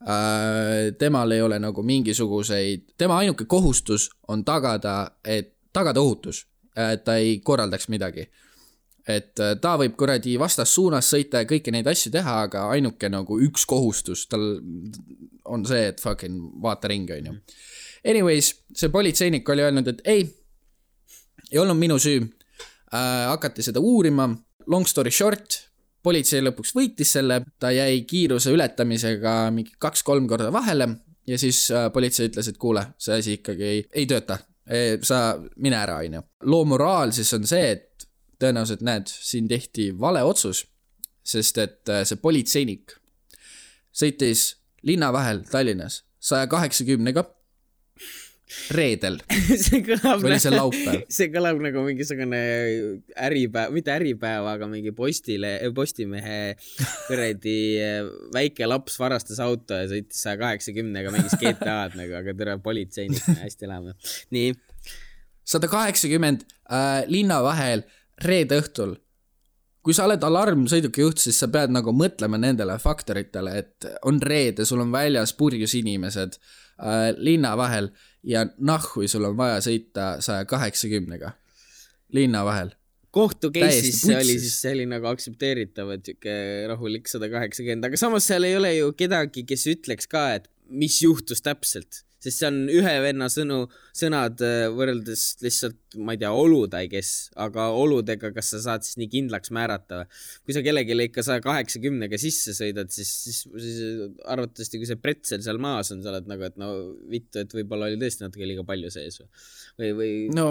äh, temal ei ole nagu mingisuguseid, tema ainuke kohustus on tagada, et tagada ohutus, et ta ei korraldaks midagi. Et äh, ta võib kuradi vastas suunas sõita ja kõiki neid asju teha, aga ainuke nagu üks kohustus tal on see, et fucking vaata ringi, on ju. Anyways, see politseinik oli öelnud, et ei, ei olnud minu süü. Äh, hakati seda uurima. Long story short, politsei lõpuks võitis selle, ta jäi kiiruse ületamisega mingi kaks-kolm korda vahele ja siis äh, politsei ütles, et kuule, see asi ikkagi ei, ei tööta. E, sa mine ära, on ju. Loo moraal siis on see, et tõenäoliselt näed, siin tehti vale otsus, sest et äh, see politseinik sõitis linna vahel Tallinnas saja kaheksakümnega reedel. see kõlab, või see laupäev. See kõlab nagu mingisugune äripäev, mitte äripäev, aga mingi postile, postimehe kõredi väike laps varastas auto ja sõitis saja kaheksakümnega mingis G T A-d nagu, aga tere politseinik, hästi läheme. Nii. sada kaheksakümmend äh, linna vahel reede õhtul. Kui sa oled alarmsõiduki juht, siis sa pead nagu mõtlema nendele faktoritele, et on reede, sul on väljas purjus inimesed äh, linna vahel ja nahhui sul on vaja sõita saja kaheksakümnega linna vahel. Kohtu case'is see oli siis see oli nagu aksepteeritav, et siuke rahulik sada kaheksakümmend, aga samas seal ei ole ju kedagi, kes ütleks ka, et mis juhtus täpselt. Sest see on ühe venna sõnu, sõnad võrreldes lihtsalt, ma ei tea, olud, kes, aga oludega, kas sa saad siis nii kindlaks määrata. Kui sa kellegile ikka saja kaheksakümnega sisse sõidad, siis, siis, siis arvatavasti, kui see pretsel seal maas on, sa oled nagu, et no vittu, et võib-olla oli tõesti natuke liiga palju sees. Või, või... No,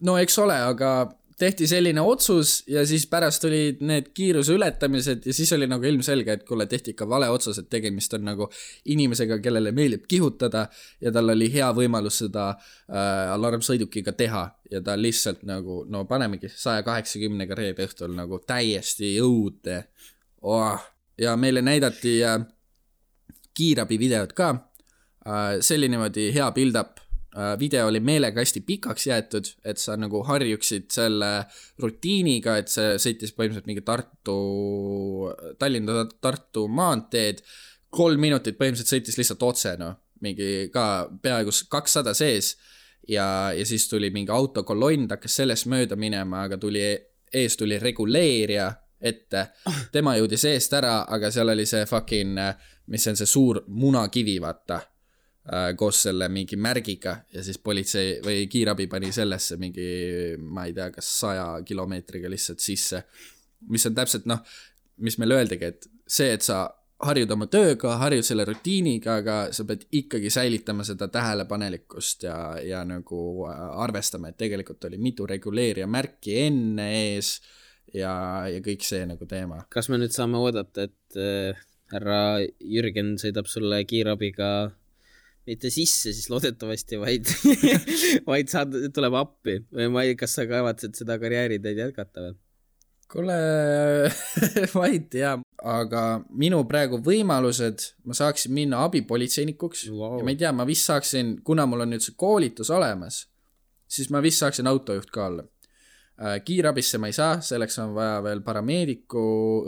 no eks ole, aga tehti selline otsus ja siis pärast olid need kiiruse ületamised ja siis oli nagu ilmselge, et kuule tehti ikka vale otsus, et tegemist on nagu inimesega, kellele meeldib kihutada ja tal oli hea võimalus seda äh, alarmsõidukiga teha ja ta lihtsalt nagu, no panemegi saja kaheksakümnega reede õhtul nagu täiesti õudne. Oh. Ja meile näidati äh, kiirabi videot ka. Äh, see oli niimoodi hea build-up video oli meelega hästi pikaks jäetud, et sa nagu harjuksid selle rutiiniga, et see sõitis põhimõtteliselt mingi Tartu, Tallinna Tartu maanteed, kolm minutit põhimõtteliselt sõitis lihtsalt otse, no, mingi ka peaaegu kakssada sees ja, ja siis tuli mingi autokolonn, hakkas sellest mööda minema, aga tuli, ees tuli reguleerija ette, tema jõudis eest ära, aga seal oli see fucking, mis on see suur munakivi, vaata, koos selle mingi märgiga ja siis politsei või kiirabi pani sellesse mingi, ma ei tea, kas saja kilomeetriga lihtsalt sisse, mis on täpselt, noh, mis meil öeldagi, et see, et sa harjud oma tööga, harjud selle rutiiniga, aga sa pead ikkagi säilitama seda tähelepanelikkust ja, ja nagu arvestama, et tegelikult oli mitu reguleerija märki enne ees ja, ja kõik see nagu teema. Kas me nüüd saame oodata, et äh, härra Jürgen sõidab sulle kiirabiga mitte sisse, siis loodetavasti, vaid, vaid saad, tuleb appi või ma ei, kas sa kavatsed seda karjääritäid jätkata või? Kuule, ma ei tea, aga minu praegu võimalused, ma saaksin minna abipolitseinikuks wow. ja ma ei tea, ma vist saaksin, kuna mul on nüüd see koolitus olemas, siis ma vist saaksin autojuht ka olla. Kiirabisse ma ei saa, selleks on vaja veel parameediku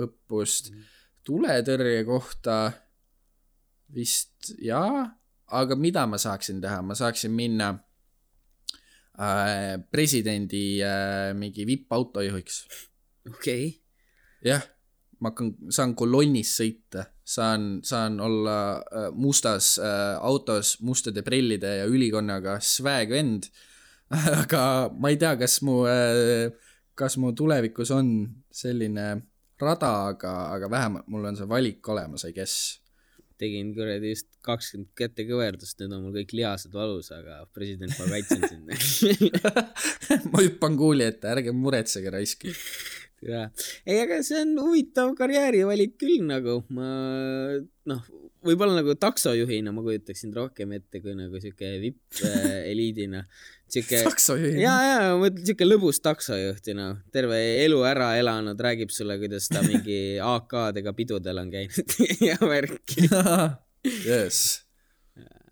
õppust, tuletõrje kohta vist jaa, aga mida ma saaksin teha? Ma saaksin minna äh, presidendi äh, mingi V I P-autojuhiks. Okei. Okay. Jah, ma hakkan, saan kolonnis sõita, saan, saan olla äh, mustas äh, autos, mustade prillide ja ülikonnaga swag vend, aga ma ei tea, kas mu, äh, kas mu tulevikus on selline rada, aga, aga vähemalt mul on see valik olemas, I guess. Tegin kuradi just kakskümmend kätte kõverdust, nüüd on mul kõik lihased valus, aga president ma kaitsen sinna. Ma hüppan kuuli ette, ärge muretsege raiski. Ja. Ei, aga see on huvitav karjäärivalik küll nagu, ma, noh, võib-olla nagu taksojuhina ma kujutaksin rohkem ette kui nagu siuke V I P-eliidina. Siuke, taksojuhina? Jaa, jaa, mõtled siuke lõbus taksojuhtina, terve elu ära elanud, räägib sulle, kuidas ta mingi A K-dega pidudel on käinud ja värki. Yes.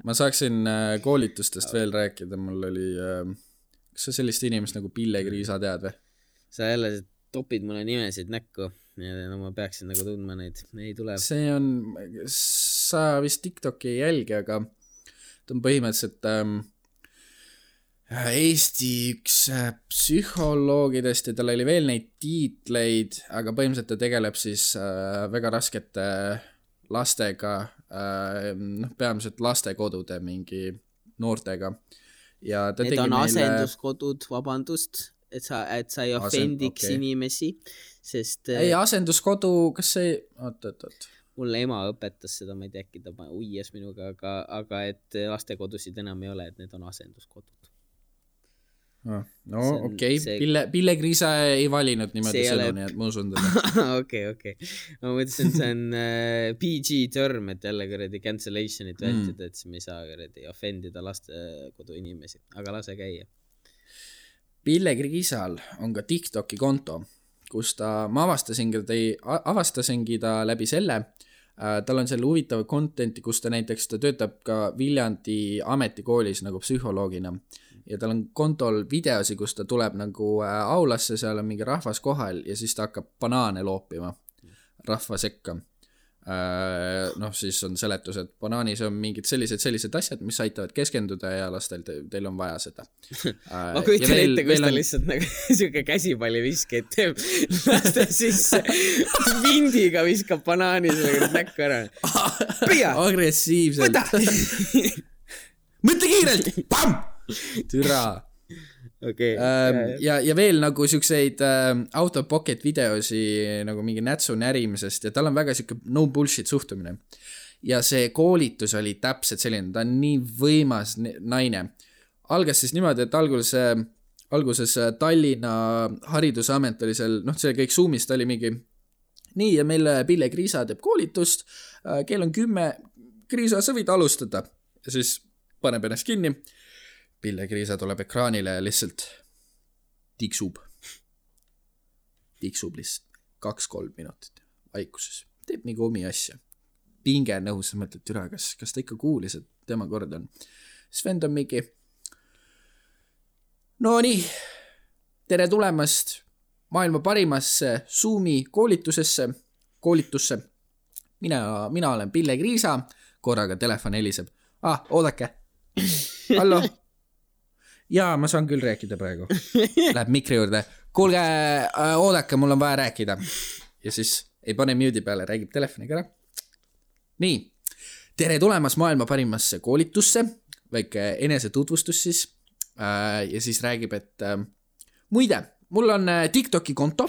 Ma saaksin koolitustest veel rääkida, mul oli, kas sa sellist inimest nagu Pille Kriisa tead või? Sa jälle topid mulle nimesid näkku ja no ma peaksin nagu tundma neid, ei tule. See on, sa vist TikToki ei jälgi, aga ta on põhimõtteliselt ähm, Eesti üks psühholoogidest ja tal oli veel neid tiitleid, aga põhimõtteliselt ta tegeleb siis äh, väga raskete lastega, äh, noh, peamiselt lastekodude mingi noortega. Ja ta need on meile... asenduskodud, vabandust, et sa, et sa ei offendiks okay. inimesi, sest... Ei, asenduskodu, kas see... Oot, oot, oot. Mulle ema õpetas seda, ma ei tea, äkki ta uies minuga, aga, aga et lastekodusid enam ei ole, et need on asenduskodud. No, no okei, okay. see... Pille, Pille Kriisa ei valinud niimoodi sõnu, ole... nii et ma usun teda. Okei, okei. Ma mõtlesin, see on uh, P G term, et jälle kõredi cancellationit vältida, mm. et siis me ei saa kõredi offendida lastekodu inimesi, aga lase käia. Pille Kriisal on ka TikToki konto, kus ta, ma avastasingi, avastasingi ta läbi selle, äh, tal on selle huvitav contenti, kus ta näiteks, ta töötab ka Viljandi ametikoolis nagu psühholoogina ja tal on kontol videosi, kus ta tuleb nagu äh, aulasse, seal on mingi rahvas kohal ja siis ta hakkab banaane loopima rahva sekka. Äh, noh, siis on seletus, et banaanis on mingid sellised, sellised asjad, mis aitavad keskenduda ja lastel te, teil on vaja seda. Äh, ma kujutan ette, kus ta on... lihtsalt nagu siuke käsipalli viskeid teeb, laste sisse vindiga viskab banaani selle näkku ära. Pia! Agressiivselt. Mõtle kiirelt! Pam! Türa! Okay. Ähm, ja, ja veel nagu siukseid äh, out of pocket videosi nagu mingi nätsu närimisest ja tal on väga siuke no bullshit suhtumine. Ja see koolitus oli täpselt selline, ta on nii võimas naine. Algas siis niimoodi, et alguses, alguses Tallinna haridusamet oli seal, noh, see kõik Zoomist oli mingi nii ja meil Pille Kriisa teeb koolitust, kell on kümme, Kriisa, sa võid alustada ja siis paneb ennast kinni. Pille Kriisa tuleb ekraanile ja lihtsalt tiksub. Tiksub lihtsalt kaks-kolm minutit vaikuses. Teeb mingi omi asja. Pinge nõus, sa mõtled, türa, kas, kas ta ikka kuulis, et tema kord on. Siis vend on mingi, no nii, tere tulemast maailma parimasse Zoomi koolitusesse, koolitusse. Mina, mina olen Pille Kriisa, korraga telefon heliseb. Ah, oodake. Hallo? Jaa, ma saan küll rääkida praegu. Läheb mikri juurde. Kuulge, oodake, mul on vaja rääkida. Ja siis ei pane mute'i peale, räägib telefoniga ära. Nii, tere tulemas maailma parimasse koolitusse, väike enese tutvustus siis. Ja siis räägib, et muide, mul on TikToki konto.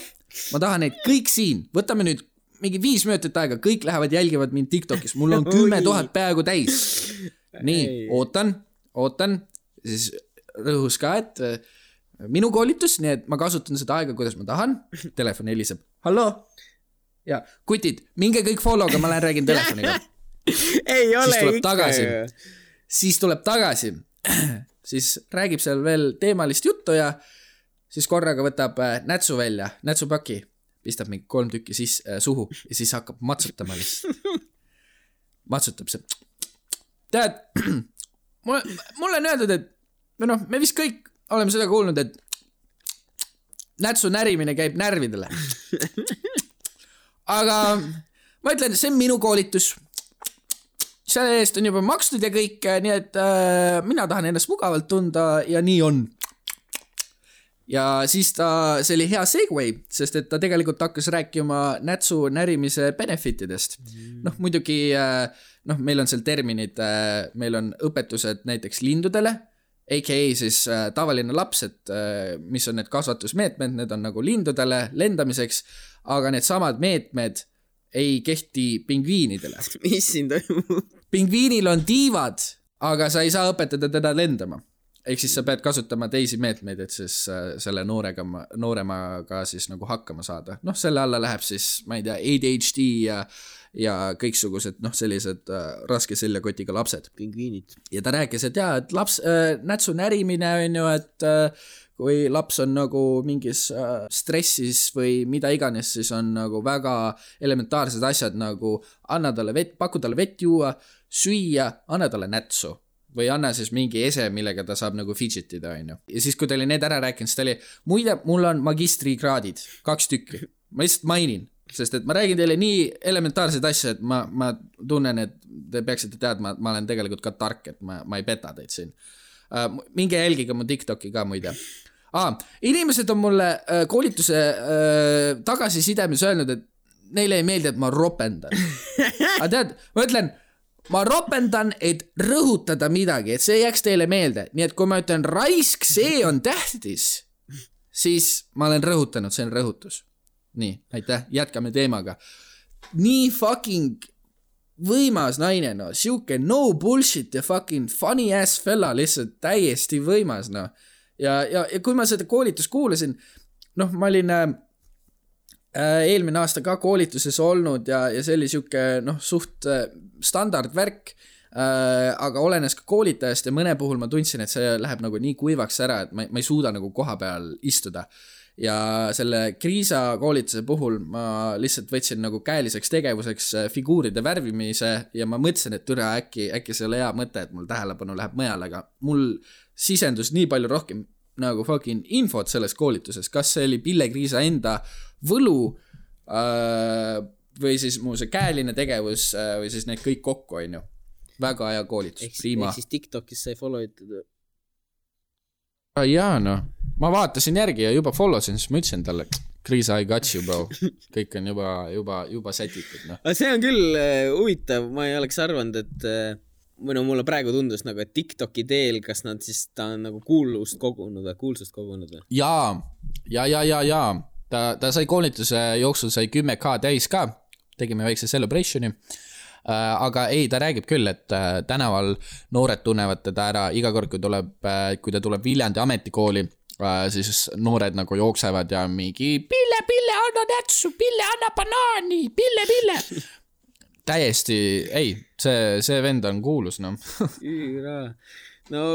Ma tahan neid kõik siin. Võtame nüüd mingi viis minutit aega. Kõik lähevad jälgivad mind TikTokis. Mul on kümme tuhat peaaegu täis. Nii, ootan, ootan. Siis rõhus ka, et minu koolitus, nii et ma kasutan seda aega, kuidas ma tahan. Telefon heliseb. Hallo? Ja, kutid, minge kõik follow'ga, ma lähen räägin telefoniga. Ei ole siis tuleb ikka. Tagasi. Siis tuleb tagasi. Siis räägib seal veel teemalist juttu ja siis korraga võtab nätsu välja, nätsupaki, pistab mingi kolm tükki siis, äh, suhu ja siis hakkab matsutama lihtsalt. Matsutab see. Tead, mulle, mulle on öeldud, et või noh, me vist kõik oleme seda kuulnud, et nätsu närimine käib närvidele. Aga ma ütlen, see on minu koolitus. Selle eest on juba makstud ja kõik, nii et äh, mina tahan ennast mugavalt tunda ja nii on. Ja siis ta, see oli hea segway, sest et ta tegelikult hakkas rääkima nätsu närimise benefitidest. Noh, muidugi, noh, meil on seal terminid, meil on õpetused näiteks lindudele, A K A siis tavaline laps, et mis on need kasvatusmeetmed, need on nagu lindudele lendamiseks, aga need samad meetmed ei kehti pingviinidele. Mis siin toimub? Pingviinil on tiivad, aga sa ei saa õpetada teda lendama. Ehk siis sa pead kasutama teisi meetmeid, et siis selle noorega, nooremaga siis nagu hakkama saada. Noh, selle alla läheb siis, ma ei tea, A D H D ja, ja kõiksugused, noh, sellised äh, raske seljakotiga lapsed. Pingviinid. Ja ta rääkis, et jaa, et laps, äh, nätsu närimine on ju, et äh, kui laps on nagu mingis äh, stressis või mida iganes, siis on nagu väga elementaarsed asjad nagu anna talle vett, paku talle vett juua, süüa, anna talle nätsu. Või anna siis mingi ese, millega ta saab nagu fidgetida, on ju. Ja siis, kui ta oli need ära rääkinud, siis ta oli, muide, mul on magistrikraadid, kaks tükki. Ma lihtsalt mainin, sest et ma räägin teile nii elementaarseid asja, et ma, ma tunnen, et te peaksite teadma, et ma olen tegelikult ka tark, et ma, ma ei peta teid siin. Uh, minge jälgiga mu TikToki ka, muide. Ah, inimesed on mulle uh, koolituse uh, tagasisidemis öelnud, et neile ei meeldi, et ma ropendan. Aga tead, ma ütlen, ma ropendan, et rõhutada midagi, et see jääks teile meelde. Nii et kui ma ütlen raisk, see on tähtis, siis ma olen rõhutanud, see on rõhutus. Nii, aitäh, jätkame teemaga. Nii fucking võimas naine, no. Siuke no bullshit ja fucking funny ass fella, lihtsalt täiesti võimas, no. Ja, ja, ja kui ma seda koolitust kuulasin, noh, ma olin äh, eelmine aasta ka koolituses olnud ja, ja see oli siuke, noh, suht äh, standardvärk, äh, aga olenes ka koolitajast ja mõne puhul ma tundsin, et see läheb nagu nii kuivaks ära, et ma, ma ei suuda nagu koha peal istuda. Ja selle kriisa koolituse puhul ma lihtsalt võtsin nagu käeliseks tegevuseks figuuride värvimise ja ma mõtlesin, et türa äkki, äkki see oli hea mõte, et mul tähelepanu läheb mõjal, aga mul sisendus nii palju rohkem nagu fucking infot selles koolituses, kas see oli Pille Kriisa enda võlu äh, või siis mu see käeline tegevus äh, või siis need kõik kokku, on ju. Väga hea koolitus. Ehk, ehk siis TikTokis sai follow itud. Jaa, no. Ma vaatasin järgi ja juba followsin, siis ma ütlesin talle, Kriisa, I got you, bro. Kõik on juba, juba, juba sätitud, no. See on küll uh, huvitav, ma ei oleks arvanud, et uh, või no mulle praegu tundus nagu, et TikToki teel, kas nad siis, ta on nagu kuulust kogunud või kuulsust kogunud või? Jaa, ja, ja, ja, ja. Ta, ta sai koolituse jooksul sai kümme K täis ka, tegime väikse celebrationi. Uh, aga ei, ta räägib küll, et uh, tänaval noored tunnevad teda ära iga kord, kui, tuleb, uh, kui ta tuleb Viljandi ametikooli, uh, siis noored nagu jooksevad ja mingi Pille, Pille, anna nätsu, Pille, anna banaani, Pille, Pille. Täiesti, ei, see, see vend on kuulus, no. Üüra. No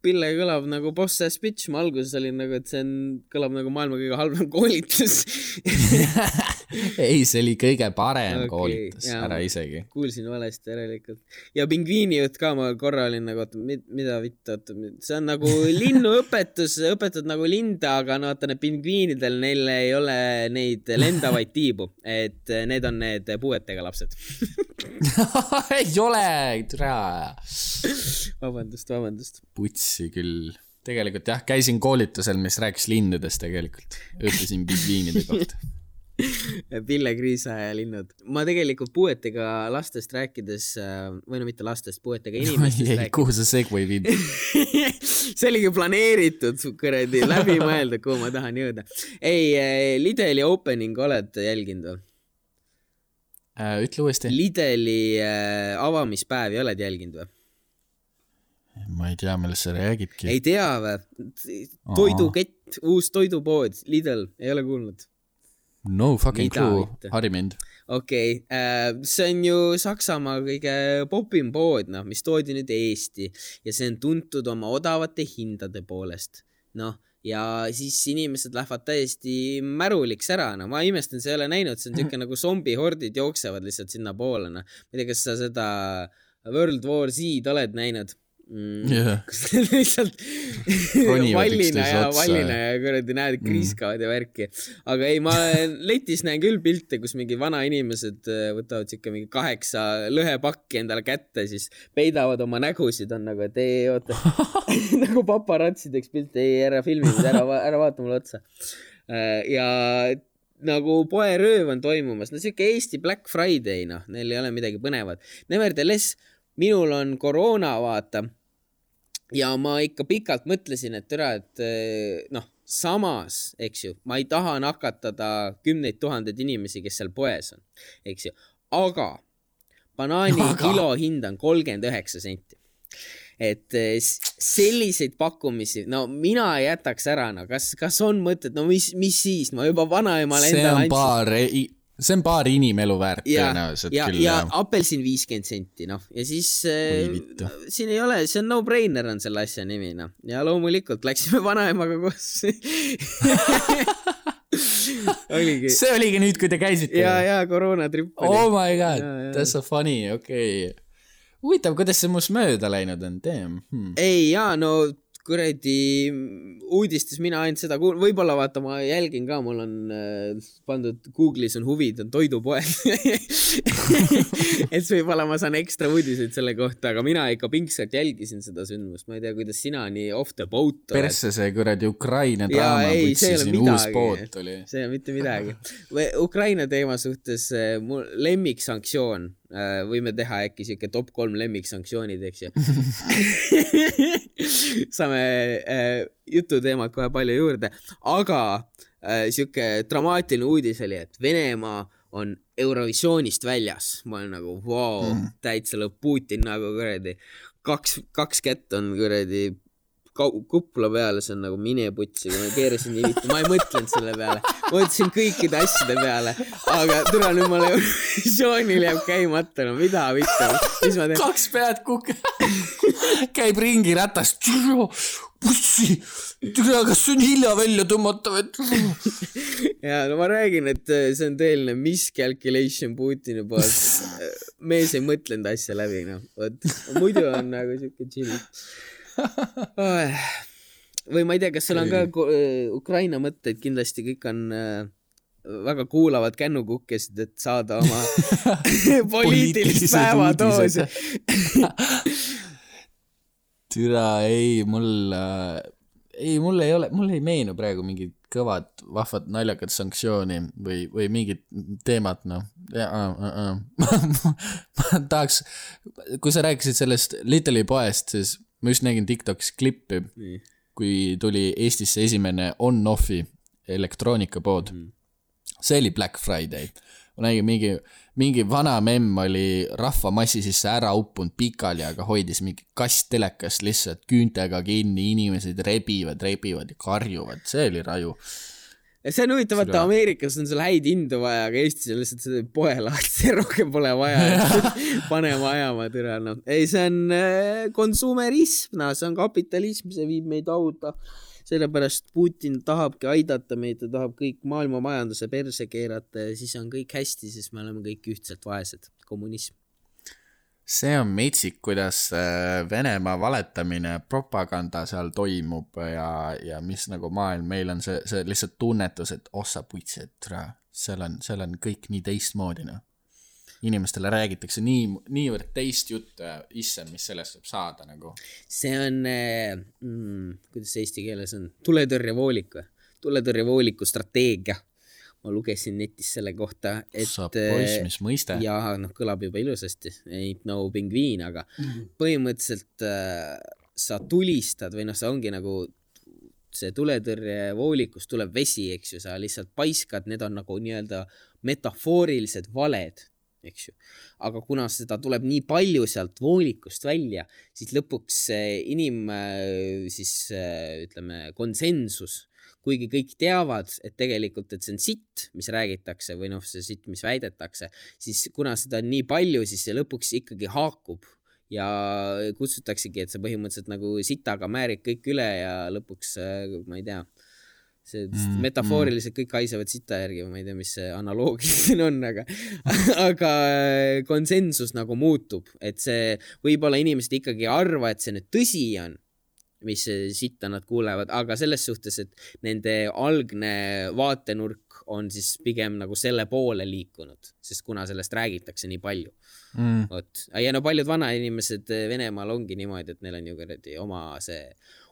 Pille kõlab nagu boss ass bitch, ma alguses olin nagu, et see on, kõlab nagu maailma kõige halvem koolitus. ei, see oli kõige parem okay, koolitus, jaa, ära isegi. Kuulsin valesti järelikult. Ja pingviini jutt ka ma korra olin nagu, mida vitta, see on nagu linnuõpetus, õpetad nagu linda, aga no vaata need pingviinidel, neil ei ole neid lendavaid tiibu, et need on need puuetega lapsed. ei ole, türa. Vabandust, vabandust. Putsi küll. Tegelikult jah, käisin koolitusel, mis rääkis linnudest tegelikult. Õppisin pingviinide kohta. Pille Kriisa ja linnud. Ma tegelikult puuetega lastest rääkides, või no mitte lastest, puuetega inimestest ei, rääkides. Kuhu see segway viib? see oligi planeeritud, kuradi, läbi mõelda, kuhu ma tahan jõuda. Ei, Lidli opening oled jälginud või? Äh, ütle uuesti. Lidli äh, avamispäevi oled jälginud või? Ma ei tea, millest sa räägidki. Ei tea või? Toidukett, uus toidupood, Lidl, ei ole kuulnud? No fucking clue, hari mind. Okei, okay. äh, see on ju Saksamaa kõige popim pood, no, mis toodi nüüd Eesti ja see on tuntud oma odavate hindade poolest. Noh, ja siis inimesed lähevad täiesti märuliks ära, no ma imestan, see ei ole näinud, see on tükk nagu zombihordid jooksevad lihtsalt sinna poole, no. Ma ei tea, kas sa seda World War Z oled näinud? Mm, yeah. Kus lihtsalt vallina ja vallina ja kuradi näed, kriiskavad ja värki. Aga ei, ma letis näen küll pilte, kus mingi vana inimesed võtavad sikka mingi kaheksa lõhepakki endale kätte, siis peidavad oma nägusid, on nagu, et ei, oota, nagu paparatsideks pilte, ei, ära filmi, ära, ära vaata mulle otsa. Ja nagu poerööv on toimumas, no siuke Eesti Black Friday, noh, neil ei ole midagi põnevat. Nevertheless, minul on koroona, vaata, ja ma ikka pikalt mõtlesin, et türa, et noh, samas, eks ju, ma ei taha nakatada kümneid tuhandeid inimesi, kes seal poes on, eks ju, aga banaani aga... kilo hind on kolmkümmend üheksa senti. Et selliseid pakkumisi, no mina jätaks ära, no kas, kas on mõtet, no mis, mis siis, ma juba vanaemale endale andsin. Paar... See on paar inimelu väärt tõenäoliselt ja, küll. Ja apelsin viiskümmend senti, noh. Ja siis äh, siin ei ole, see on no-brainer on selle asja nimi, noh. Ja loomulikult läksime vanaemaga koos. oligi. See oligi nüüd, kui te käisite. Ja, ja, koroonatripp oli. Oh my god, ja, ja. That's so funny, okei. Okay. Huvitav, kuidas see must mööda läinud on, teem? Hmm. Ei, jaa, no kuradi uudistes mina ainult seda kuul... võib-olla vaata, ma jälgin ka, mul on äh, pandud Google'is on huvid, on toidupoed. et võib-olla ma saan ekstra uudiseid selle kohta, aga mina ikka pingsalt jälgisin seda sündmust. Ma ei tea, kuidas sina nii off the boat oled. Persse see kuradi Ukraina draama, kui siin uus poot oli. See on mitte midagi. Ukraina teema suhtes mul lemmiksanktsioon. Võime teha äkki siuke top kolm lemmiksanktsioonid, eks ju. Saame äh, jututeemad kohe palju juurde, aga äh, siuke dramaatiline uudis oli, et Venemaa on Eurovisioonist väljas. Ma olen nagu, vau, wow, mm. täitsa lõpp Putin nagu kuradi. Kaks, kaks kätt on kuradi kuppla peale, see on nagu mineputsi, kui ma keerasin nii vitti, ma ei mõtlenud selle peale, ma mõtlesin kõikide asjade peale, aga türa nüüd ma Eurovisioonil jääb käimata, no mida vitta, mis ma teen? Kaks pead kuk... käib ringi ratas, pussi, türa, kas see on hilja välja tõmmata või? ja no ma räägin, et see on tõeline miscalculation Putini poolt, mees ei mõtlenud asja läbi, no, võt, muidu on nagu siuke chill. Või ma ei tea, kas sul on ka Ukraina mõtteid, kindlasti kõik on väga kuulavad kännukukkesid, et saada oma poliitilist päevatoosi. Türa, ei, mul ei, mul ei ole, mul ei meenu praegu mingid kõvad, vahvad, naljakad sanktsiooni või, või mingid teemad, noh. Ja, uh, uh, uh. ma tahaks, kui sa rääkisid sellest Lidli poest, siis ma just nägin TikTokis klippi, mm. kui tuli Eestisse esimene on-offi elektroonikapood. Mm. See oli Black Friday. Ma nägin mingi, mingi vana memm oli rahvamassi sisse ära uppunud pikali, aga hoidis mingi kast telekast lihtsalt küüntega kinni, inimesed rebivad, rebivad ja karjuvad. See oli raju. See on huvitav, et Ameerikas on sul häid hindu vaja, aga Eestis on lihtsalt seda poelaat, see rohkem pole vaja, panema ajama türa. No. Ei, see on konsumerism, no, see on kapitalism, see viib meid auta. sellepärast Putin tahabki aidata meid, ta tahab kõik maailma majanduse perse keerata ja siis on kõik hästi, siis me oleme kõik ühtselt vaesed. Kommunism. See on metsik, kuidas Venemaa valetamine, propaganda seal toimub ja, ja mis nagu maailm, meil on see, see lihtsalt tunnetus, et ossa putsi, et seal on, seal on kõik nii teistmoodi, noh. Inimestele räägitakse nii, niivõrd teist juttu ja issand, mis sellest saab saada nagu. See on, mm, kuidas see eesti keeles on, tuletõrjevoolik või? Tuletõrjevooliku strateegia. Ma lugesin netis selle kohta, et saab poiss, mis mõiste. Ja noh, kõlab juba ilusasti, ain't no pingviin, aga mm. põhimõtteliselt äh, sa tulistad või noh, see ongi nagu see tuletõrjevoolikus tuleb vesi, eks ju, sa lihtsalt paiskad, need on nagu nii-öelda metafoorilised valed, eks ju. Aga kuna seda tuleb nii palju sealt voolikust välja, siis lõpuks inim, siis ütleme, konsensus, kuigi kõik teavad, et tegelikult, et see on sitt, mis räägitakse või noh, see sitt, mis väidetakse, siis kuna seda on nii palju, siis see lõpuks ikkagi haakub ja kutsutaksegi, et see põhimõtteliselt nagu sitaga määrib kõik üle ja lõpuks, ma ei tea, see mm, metafooriliselt kõik haisavad sita järgi, ma ei tea, mis see analoogia siin on, aga, aga konsensus nagu muutub, et see võib-olla inimesed ikkagi arva, et see nüüd tõsi on, mis sitta nad kuulevad, aga selles suhtes, et nende algne vaatenurk on siis pigem nagu selle poole liikunud, sest kuna sellest räägitakse nii palju. Mm. Oot. Ja no paljud vana inimesed Venemaal ongi niimoodi, et neil on ju kõredi oma see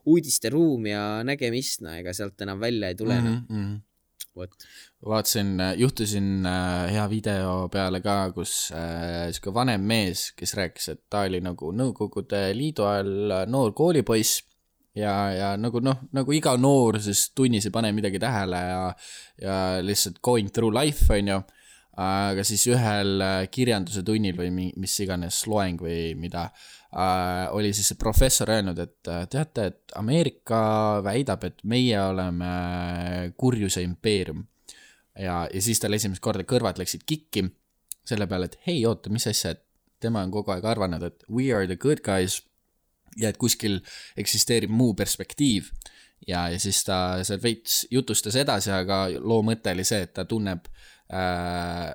uudiste ruum ja nägemistna, ega sealt enam välja ei tule. Mm -hmm. Vaatasin, juhtusin hea video peale ka, kus äh, vanem mees, kes rääkis, et ta oli nagu Nõukogude Liidu ajal noor koolipoiss ja, ja nagu noh, nagu iga noor siis tunnis ei pane midagi tähele ja, ja lihtsalt going through life on ju, aga siis ühel kirjanduse tunnil või mis iganes loeng või mida Uh, oli siis see professor öelnud, et teate, et Ameerika väidab, et meie oleme kurjuse impeerium ja, ja siis tal esimest korda kõrvad läksid kikki selle peale, et hei, oota, mis asja, et tema on kogu aeg arvanud, et we are the good guys ja et kuskil eksisteerib muu perspektiiv ja, ja siis ta seal veits jutustas edasi, aga loo mõte oli see, et ta tunneb äh,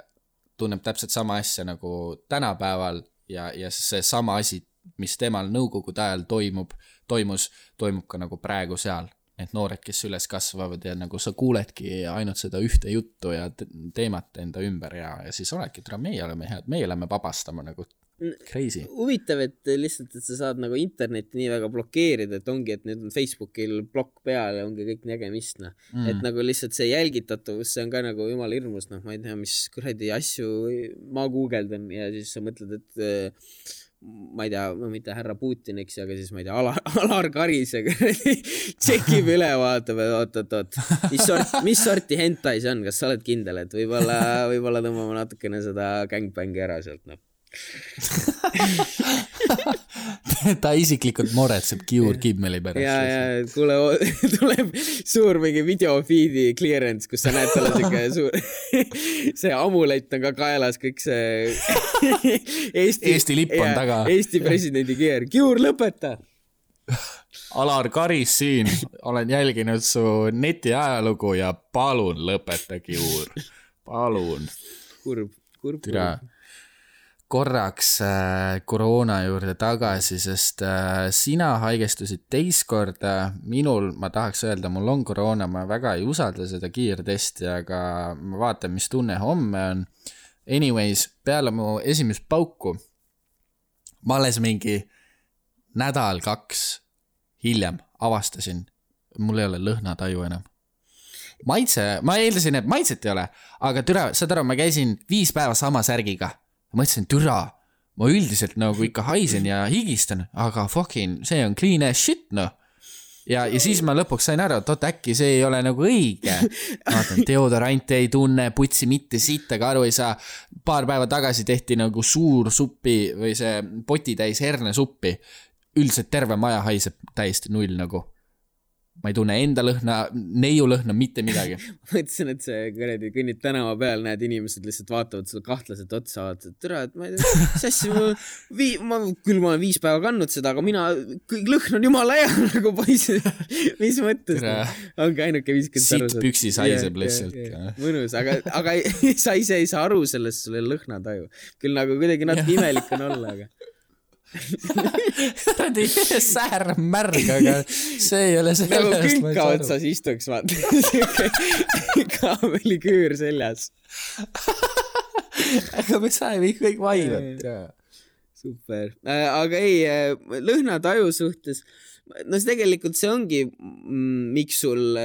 tunneb täpselt sama asja nagu tänapäeval ja, ja see sama asi, mis temal nõukogude ajal toimub, toimus, toimub ka nagu praegu seal. Et noored, kes üles kasvavad ja nagu sa kuuledki ainult seda ühte juttu ja teemat enda ümber ja, ja siis oledki, et meie oleme head, meie oleme vabastama nagu crazy. Huvitav, et lihtsalt, et sa saad nagu internetti nii väga blokeerida, et ongi, et nüüd on Facebookil blokk peal ja ongi kõik nägemist, noh. Mm. Et nagu lihtsalt see jälgitatavus, see on ka nagu jumal hirmus, noh, ma ei tea, mis kuradi asju ma guugeldan ja siis sa mõtled, et ma ei tea, no mitte härra Putin, eks, aga siis ma ei tea, Alar, Alar Karis tšekib üle, vaatab, et oot, oot, oot, mis, sort, mis sorti hentai see on, kas sa oled kindel, et võib-olla, võib-olla tõmbame natukene seda gangbängi ära sealt, noh. Ta isiklikult moretseb Kiur Kimmeli pärast. Ja, ja, kuule, tuleb suur mingi videofeedi clearance, kus sa näed talle siuke suur see amulett on ka kaelas, kõik see Eesti, Eesti lipp on taga. Eesti presidendi keer. Kiur, lõpeta! Alar Karis siin. Olen jälginud su neti ajalugu ja palun lõpeta, Kiur. Palun. Kurb, kurb. Türa. Korraks äh, koroona juurde tagasi, sest äh, sina haigestusid teist korda, minul, ma tahaks öelda, mul on koroona, ma väga ei usalda seda kiirtesti, aga ma vaatan, mis tunne homme on. Anyways, peale mu esimest pauku, ma alles mingi nädal, kaks hiljem avastasin, mul ei ole lõhnataju enam. Maitse, ma eeldasin, et maitset ei ole, aga türa, saad aru, ma käisin viis päeva sama särgiga. Ma mõtlesin, türa, ma üldiselt nagu ikka haisen ja higistan, aga fucking, see on clean as shit, noh. Ja, ja siis ma lõpuks sain aru, et oot, äkki see ei ole nagu õige. Vaatan, deodorante ei tunne, putsi mitte siit, aga aru ei saa. Paar päeva tagasi tehti nagu suur suppi või see poti täis herne suppi. Üldiselt terve maja haiseb täiesti null nagu. ma ei tunne enda lõhna, neiu lõhna, mitte midagi. Mõtlesin, et see kõredi kõnnid tänava peal, näed inimesed lihtsalt vaatavad sulle kahtlaselt otsa, vaatavad, tere, et ma ei tea, sassi, ma, vii, ma, küll ma olen viis päeva kandnud seda, aga mina, kõik lõhn on jumala hea, nagu poisi, mis mõttes, ongi ainuke viiskümmend aru. Siit püksi saiseb lihtsalt. Mõnus, aga, aga sa ise ei saa aru sellest, sul ei lõhnataju. Küll nagu kuidagi natuke imelik on olla, aga säär märg, aga see ei ole sellest. Nagu külka otsas istuks, vaata. Kaameliküür seljas. Aga me saime kõik vaivad. Super. Aga ei, lõhnataju suhtes, no see tegelikult see ongi, miks sul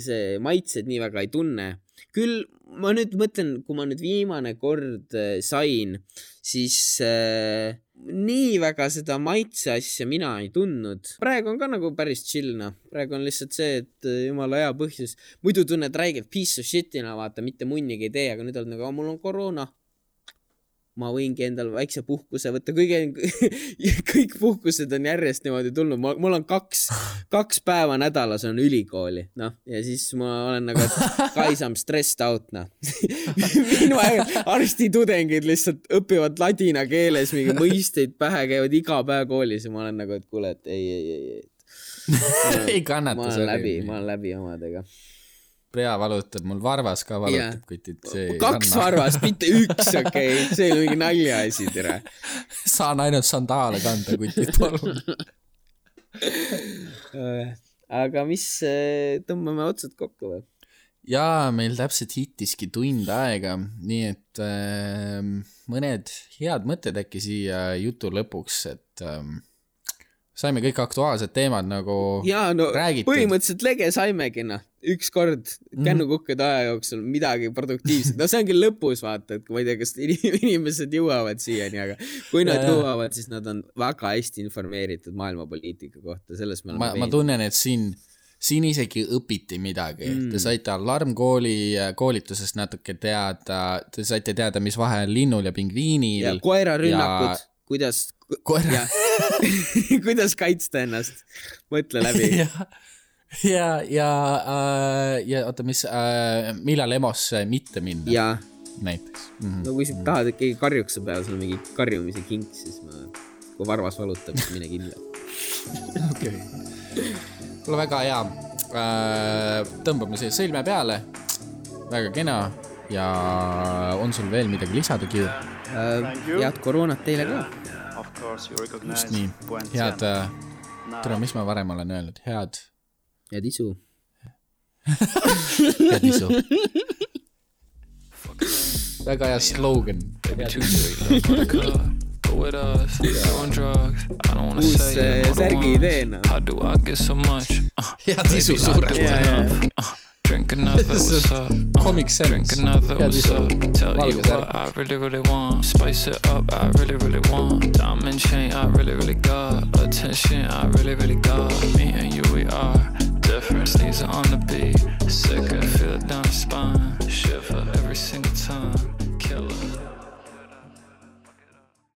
see maitsed nii väga ei tunne. Küll ma nüüd mõtlen, kui ma nüüd viimane kord sain, siis äh, nii väga seda maitse asja mina ei tundnud. Praegu on ka nagu päris chillna. Praegu on lihtsalt see, et jumala hea põhjus. Muidu tunned räigelt piece of shitina, vaata, mitte munnigi ei tee, aga nüüd on nagu, mul on koroona. Ma võingi endal väikse puhkuse võtta. Kõige, kõik puhkused on järjest niimoodi tulnud. Mul on kaks, kaks päeva nädalas on ülikooli. No, ja siis ma olen nagu, et kaisam stressed out. No. Minu arstitudengid lihtsalt õpivad ladina keeles, mingi mõisteid pähe käivad iga päev koolis ja ma olen nagu, et kuule, et ei, ei, ei, ei. ei kannata. Ma olen läbi, ma olen läbi omadega. Pea valutab, mul varvas ka valutab, yeah. Kuid see kaks kanna. Varvas, mitte üks, okei, okay. See oli mingi nalja asi, tere. Saan ainult sandaale kanda, kuid palun. Aga mis, tõmbame otsad kokku või? Jaa, meil täpselt hittiski tund aega, nii et äh, mõned head mõtted äkki siia jutu lõpuks, et äh, saime kõik aktuaalsed teemad nagu Jaa, no räägitud. Põhimõtteliselt lege saimegi, noh. Üks kord kännukukkede aja jooksul midagi produktiivset. No see ongi lõpus, vaata, et ma ei tea, kas inimesed jõuavad siiani, aga kui nad ja, jõuavad, siis nad on väga hästi informeeritud maailmapoliitika kohta. Selles me ma, ma tunnen, et siin, siin isegi õpiti midagi. Mm. Te saite alarmkooli koolitusest natuke teada, te saite teada, mis vahe on linnul ja pingviinil. Ja koerarünnakud, ja... kuidas, Koera... ja... kuidas kaitsta ennast. Mõtle läbi. ja ja, ja, äh, ja oota, mis, äh, millal emosse mitte minna. Ja. Näiteks. Mm-hmm. No kui sa tahad, et keegi karjuks peal, sul on mingi karjumise kink, siis ma, kui varvas valutab, siis mine kindla. Okei. Okay. Mulle väga hea. Äh, tõmbame siia sõlme peale. Väga kena. Ja on sul veel midagi lisada, Kiur? Äh, head koroonat teile ka. Just nii. Head, tere, mis ma varem olen öelnud? Head... Head isu. Head isu. Väga hea slogan. Uus särgi ideena. Head isu suurelt. Drink another, what's up? Comic sense. Drink another, what's up? Tell you what I really, really want. Spice it up, I really, really want. Diamond chain, I really, really got. Attention, I really, really got. Me and you, we are different. These are on the beat. Sick, I feel it down the spine. Shiver every single time.